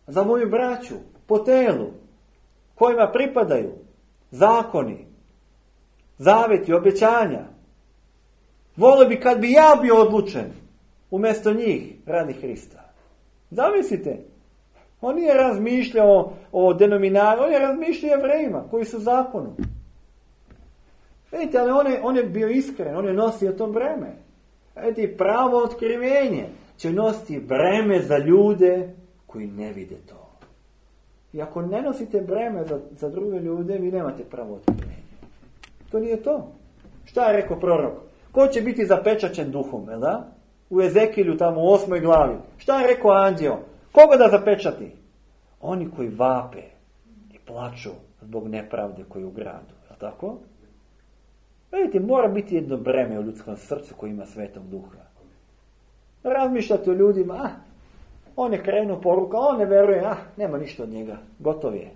Za moju braću, po telu, kojima pripadaju zakoni, zaveti, obećanja. Volio bi kad bi ja bio odlučen umjesto njih radi Hrista. Zamislite, on nije razmišljao o denominaciji, on je razmišljao o Jevrejima koji su zakonu. Vidite, ali on je, on je bio iskren, on je nosio to breme. Vidite, pravo otkrivenje će nositi breme za ljude koji ne vide to. I ako ne nosite breme za, za druge ljude, vi nemate pravo otkrivenje. To nije to. Šta je rekao prorok? Ko će biti zapečaćen duhom, jel da? U Ezekilju, tamo u osmoj glavi. Šta je rekao anđeo? Koga da zapečati? Oni koji vape i plaču zbog nepravde koji je u gradu. Je li tako? Vidite, mora biti jedno breme u ljudskom srcu koji ima Svetog Duha. Razmišljate o ljudima, ah, on je krenuo poruka, on ne veruje, ah, nema ništa od njega, gotov je.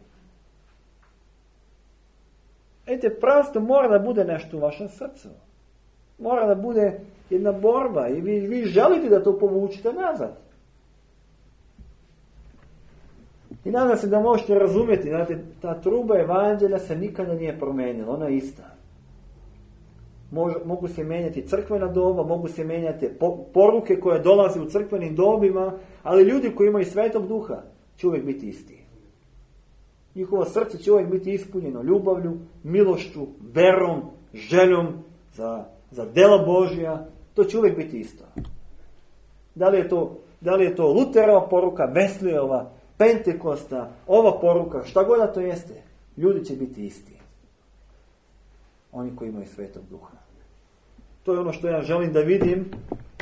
Vidite, prosto mora da bude nešto u vašem srcu. Mora da bude jedna borba i vi, vi želite da to povučite nazad. I nadam se da možete razumjeti, znate, ta truba evanđelja se nikada nije promenila, ona je ista. Mož, mogu se mijenjati crkvena doba, mogu se mijenjati po, poruke koje dolaze u crkvenim dobima, ali ljudi koji imaju Svetog Duha će uvijek biti isti. Njihovo srce će uvijek biti ispunjeno ljubavlju, milošću, verom, željom za, za dela Božja. To će uvijek biti isto. Da li je to, da li je to Luterova poruka, Wesleyova, Pentekosta, ova poruka, šta god da to jeste, ljudi će biti isti. Oni koji imaju Svetog Duha. To je ono što ja želim da vidim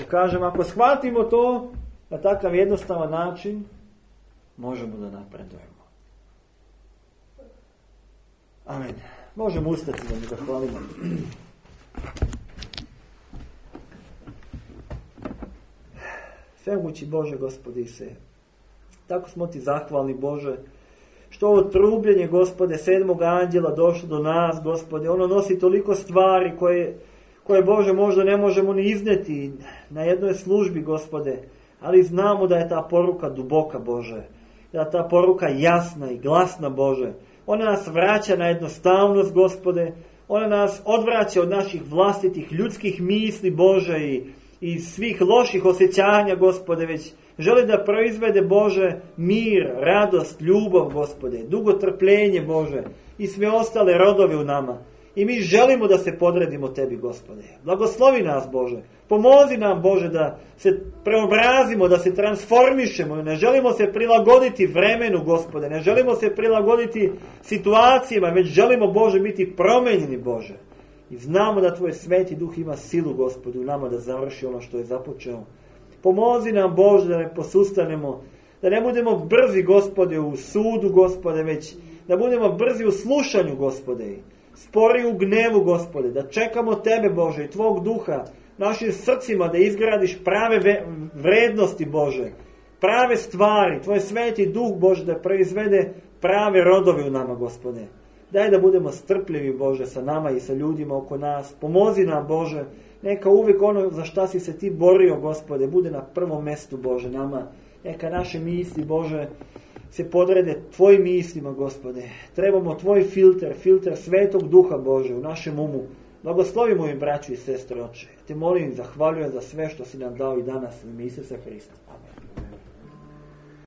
i kažem, ako shvatimo to na takav jednostavan način, možemo da napredujemo. Amen. Možemo ustati da mi zahvalimo. Svemogući Bože, Gospodi se, tako smo ti zahvalni, Bože, što ovo trubljenje, Gospode, sedmog anđela došlo do nas, Gospode. Ono nosi toliko stvari koje, koje, Bože, možda ne možemo ni izneti na jednoj službi, Gospode. Ali znamo da je ta poruka duboka, Bože. Da je ta poruka jasna i glasna, Bože. Ona nas vraća na jednostavnost, Gospode. Ona nas odvraća od naših vlastitih ljudskih misli, Bože, i, i svih loših osjećanja, Gospode, već želi da proizvede, Bože, mir, radost, ljubav, Gospode, dugotrpljenje, Bože, i sve ostale rodove u nama. I mi želimo da se podredimo Tebi, Gospode. Blagoslovi nas, Bože. Pomozi nam, Bože, da se preobrazimo, da se transformišemo. Ne želimo se prilagoditi vremenu, Gospode. Ne želimo se prilagoditi situacijama, već želimo, Bože, biti promenjeni, Bože. I znamo da Tvoj Sveti Duh ima silu, Gospode, u nama da završi ono što je započeo. Pomozi nam, Bože, da ne posustanemo, da ne budemo brzi, Gospode, u sudu, Gospode, već da budemo brzi u slušanju, Gospode, spori u gnevu, Gospode, da čekamo Tebe, Bože, i Tvog Duha našim srcima, da izgradiš prave vrednosti, Bože, prave stvari, Tvoj sveti duh, Bože, da proizvede prave rodove u nama, Gospode. Daj da budemo strpljivi, Bože, sa nama i sa ljudima oko nas. Pomozi nam, Bože, neka uvijek ono za šta si se Ti borio, Gospode, bude na prvom mjestu, Bože, nama. Neka naše misli, Bože, se podrede Tvojim mislima, Gospode. Trebamo Tvoj filter, filter Svetog Duha, Bože, u našem umu. Blagoslovi moji braću i sestre, Oče. Te molim, zahvaljujem za sve što si nam dao i danas u ime Isusa Hrista. Amen.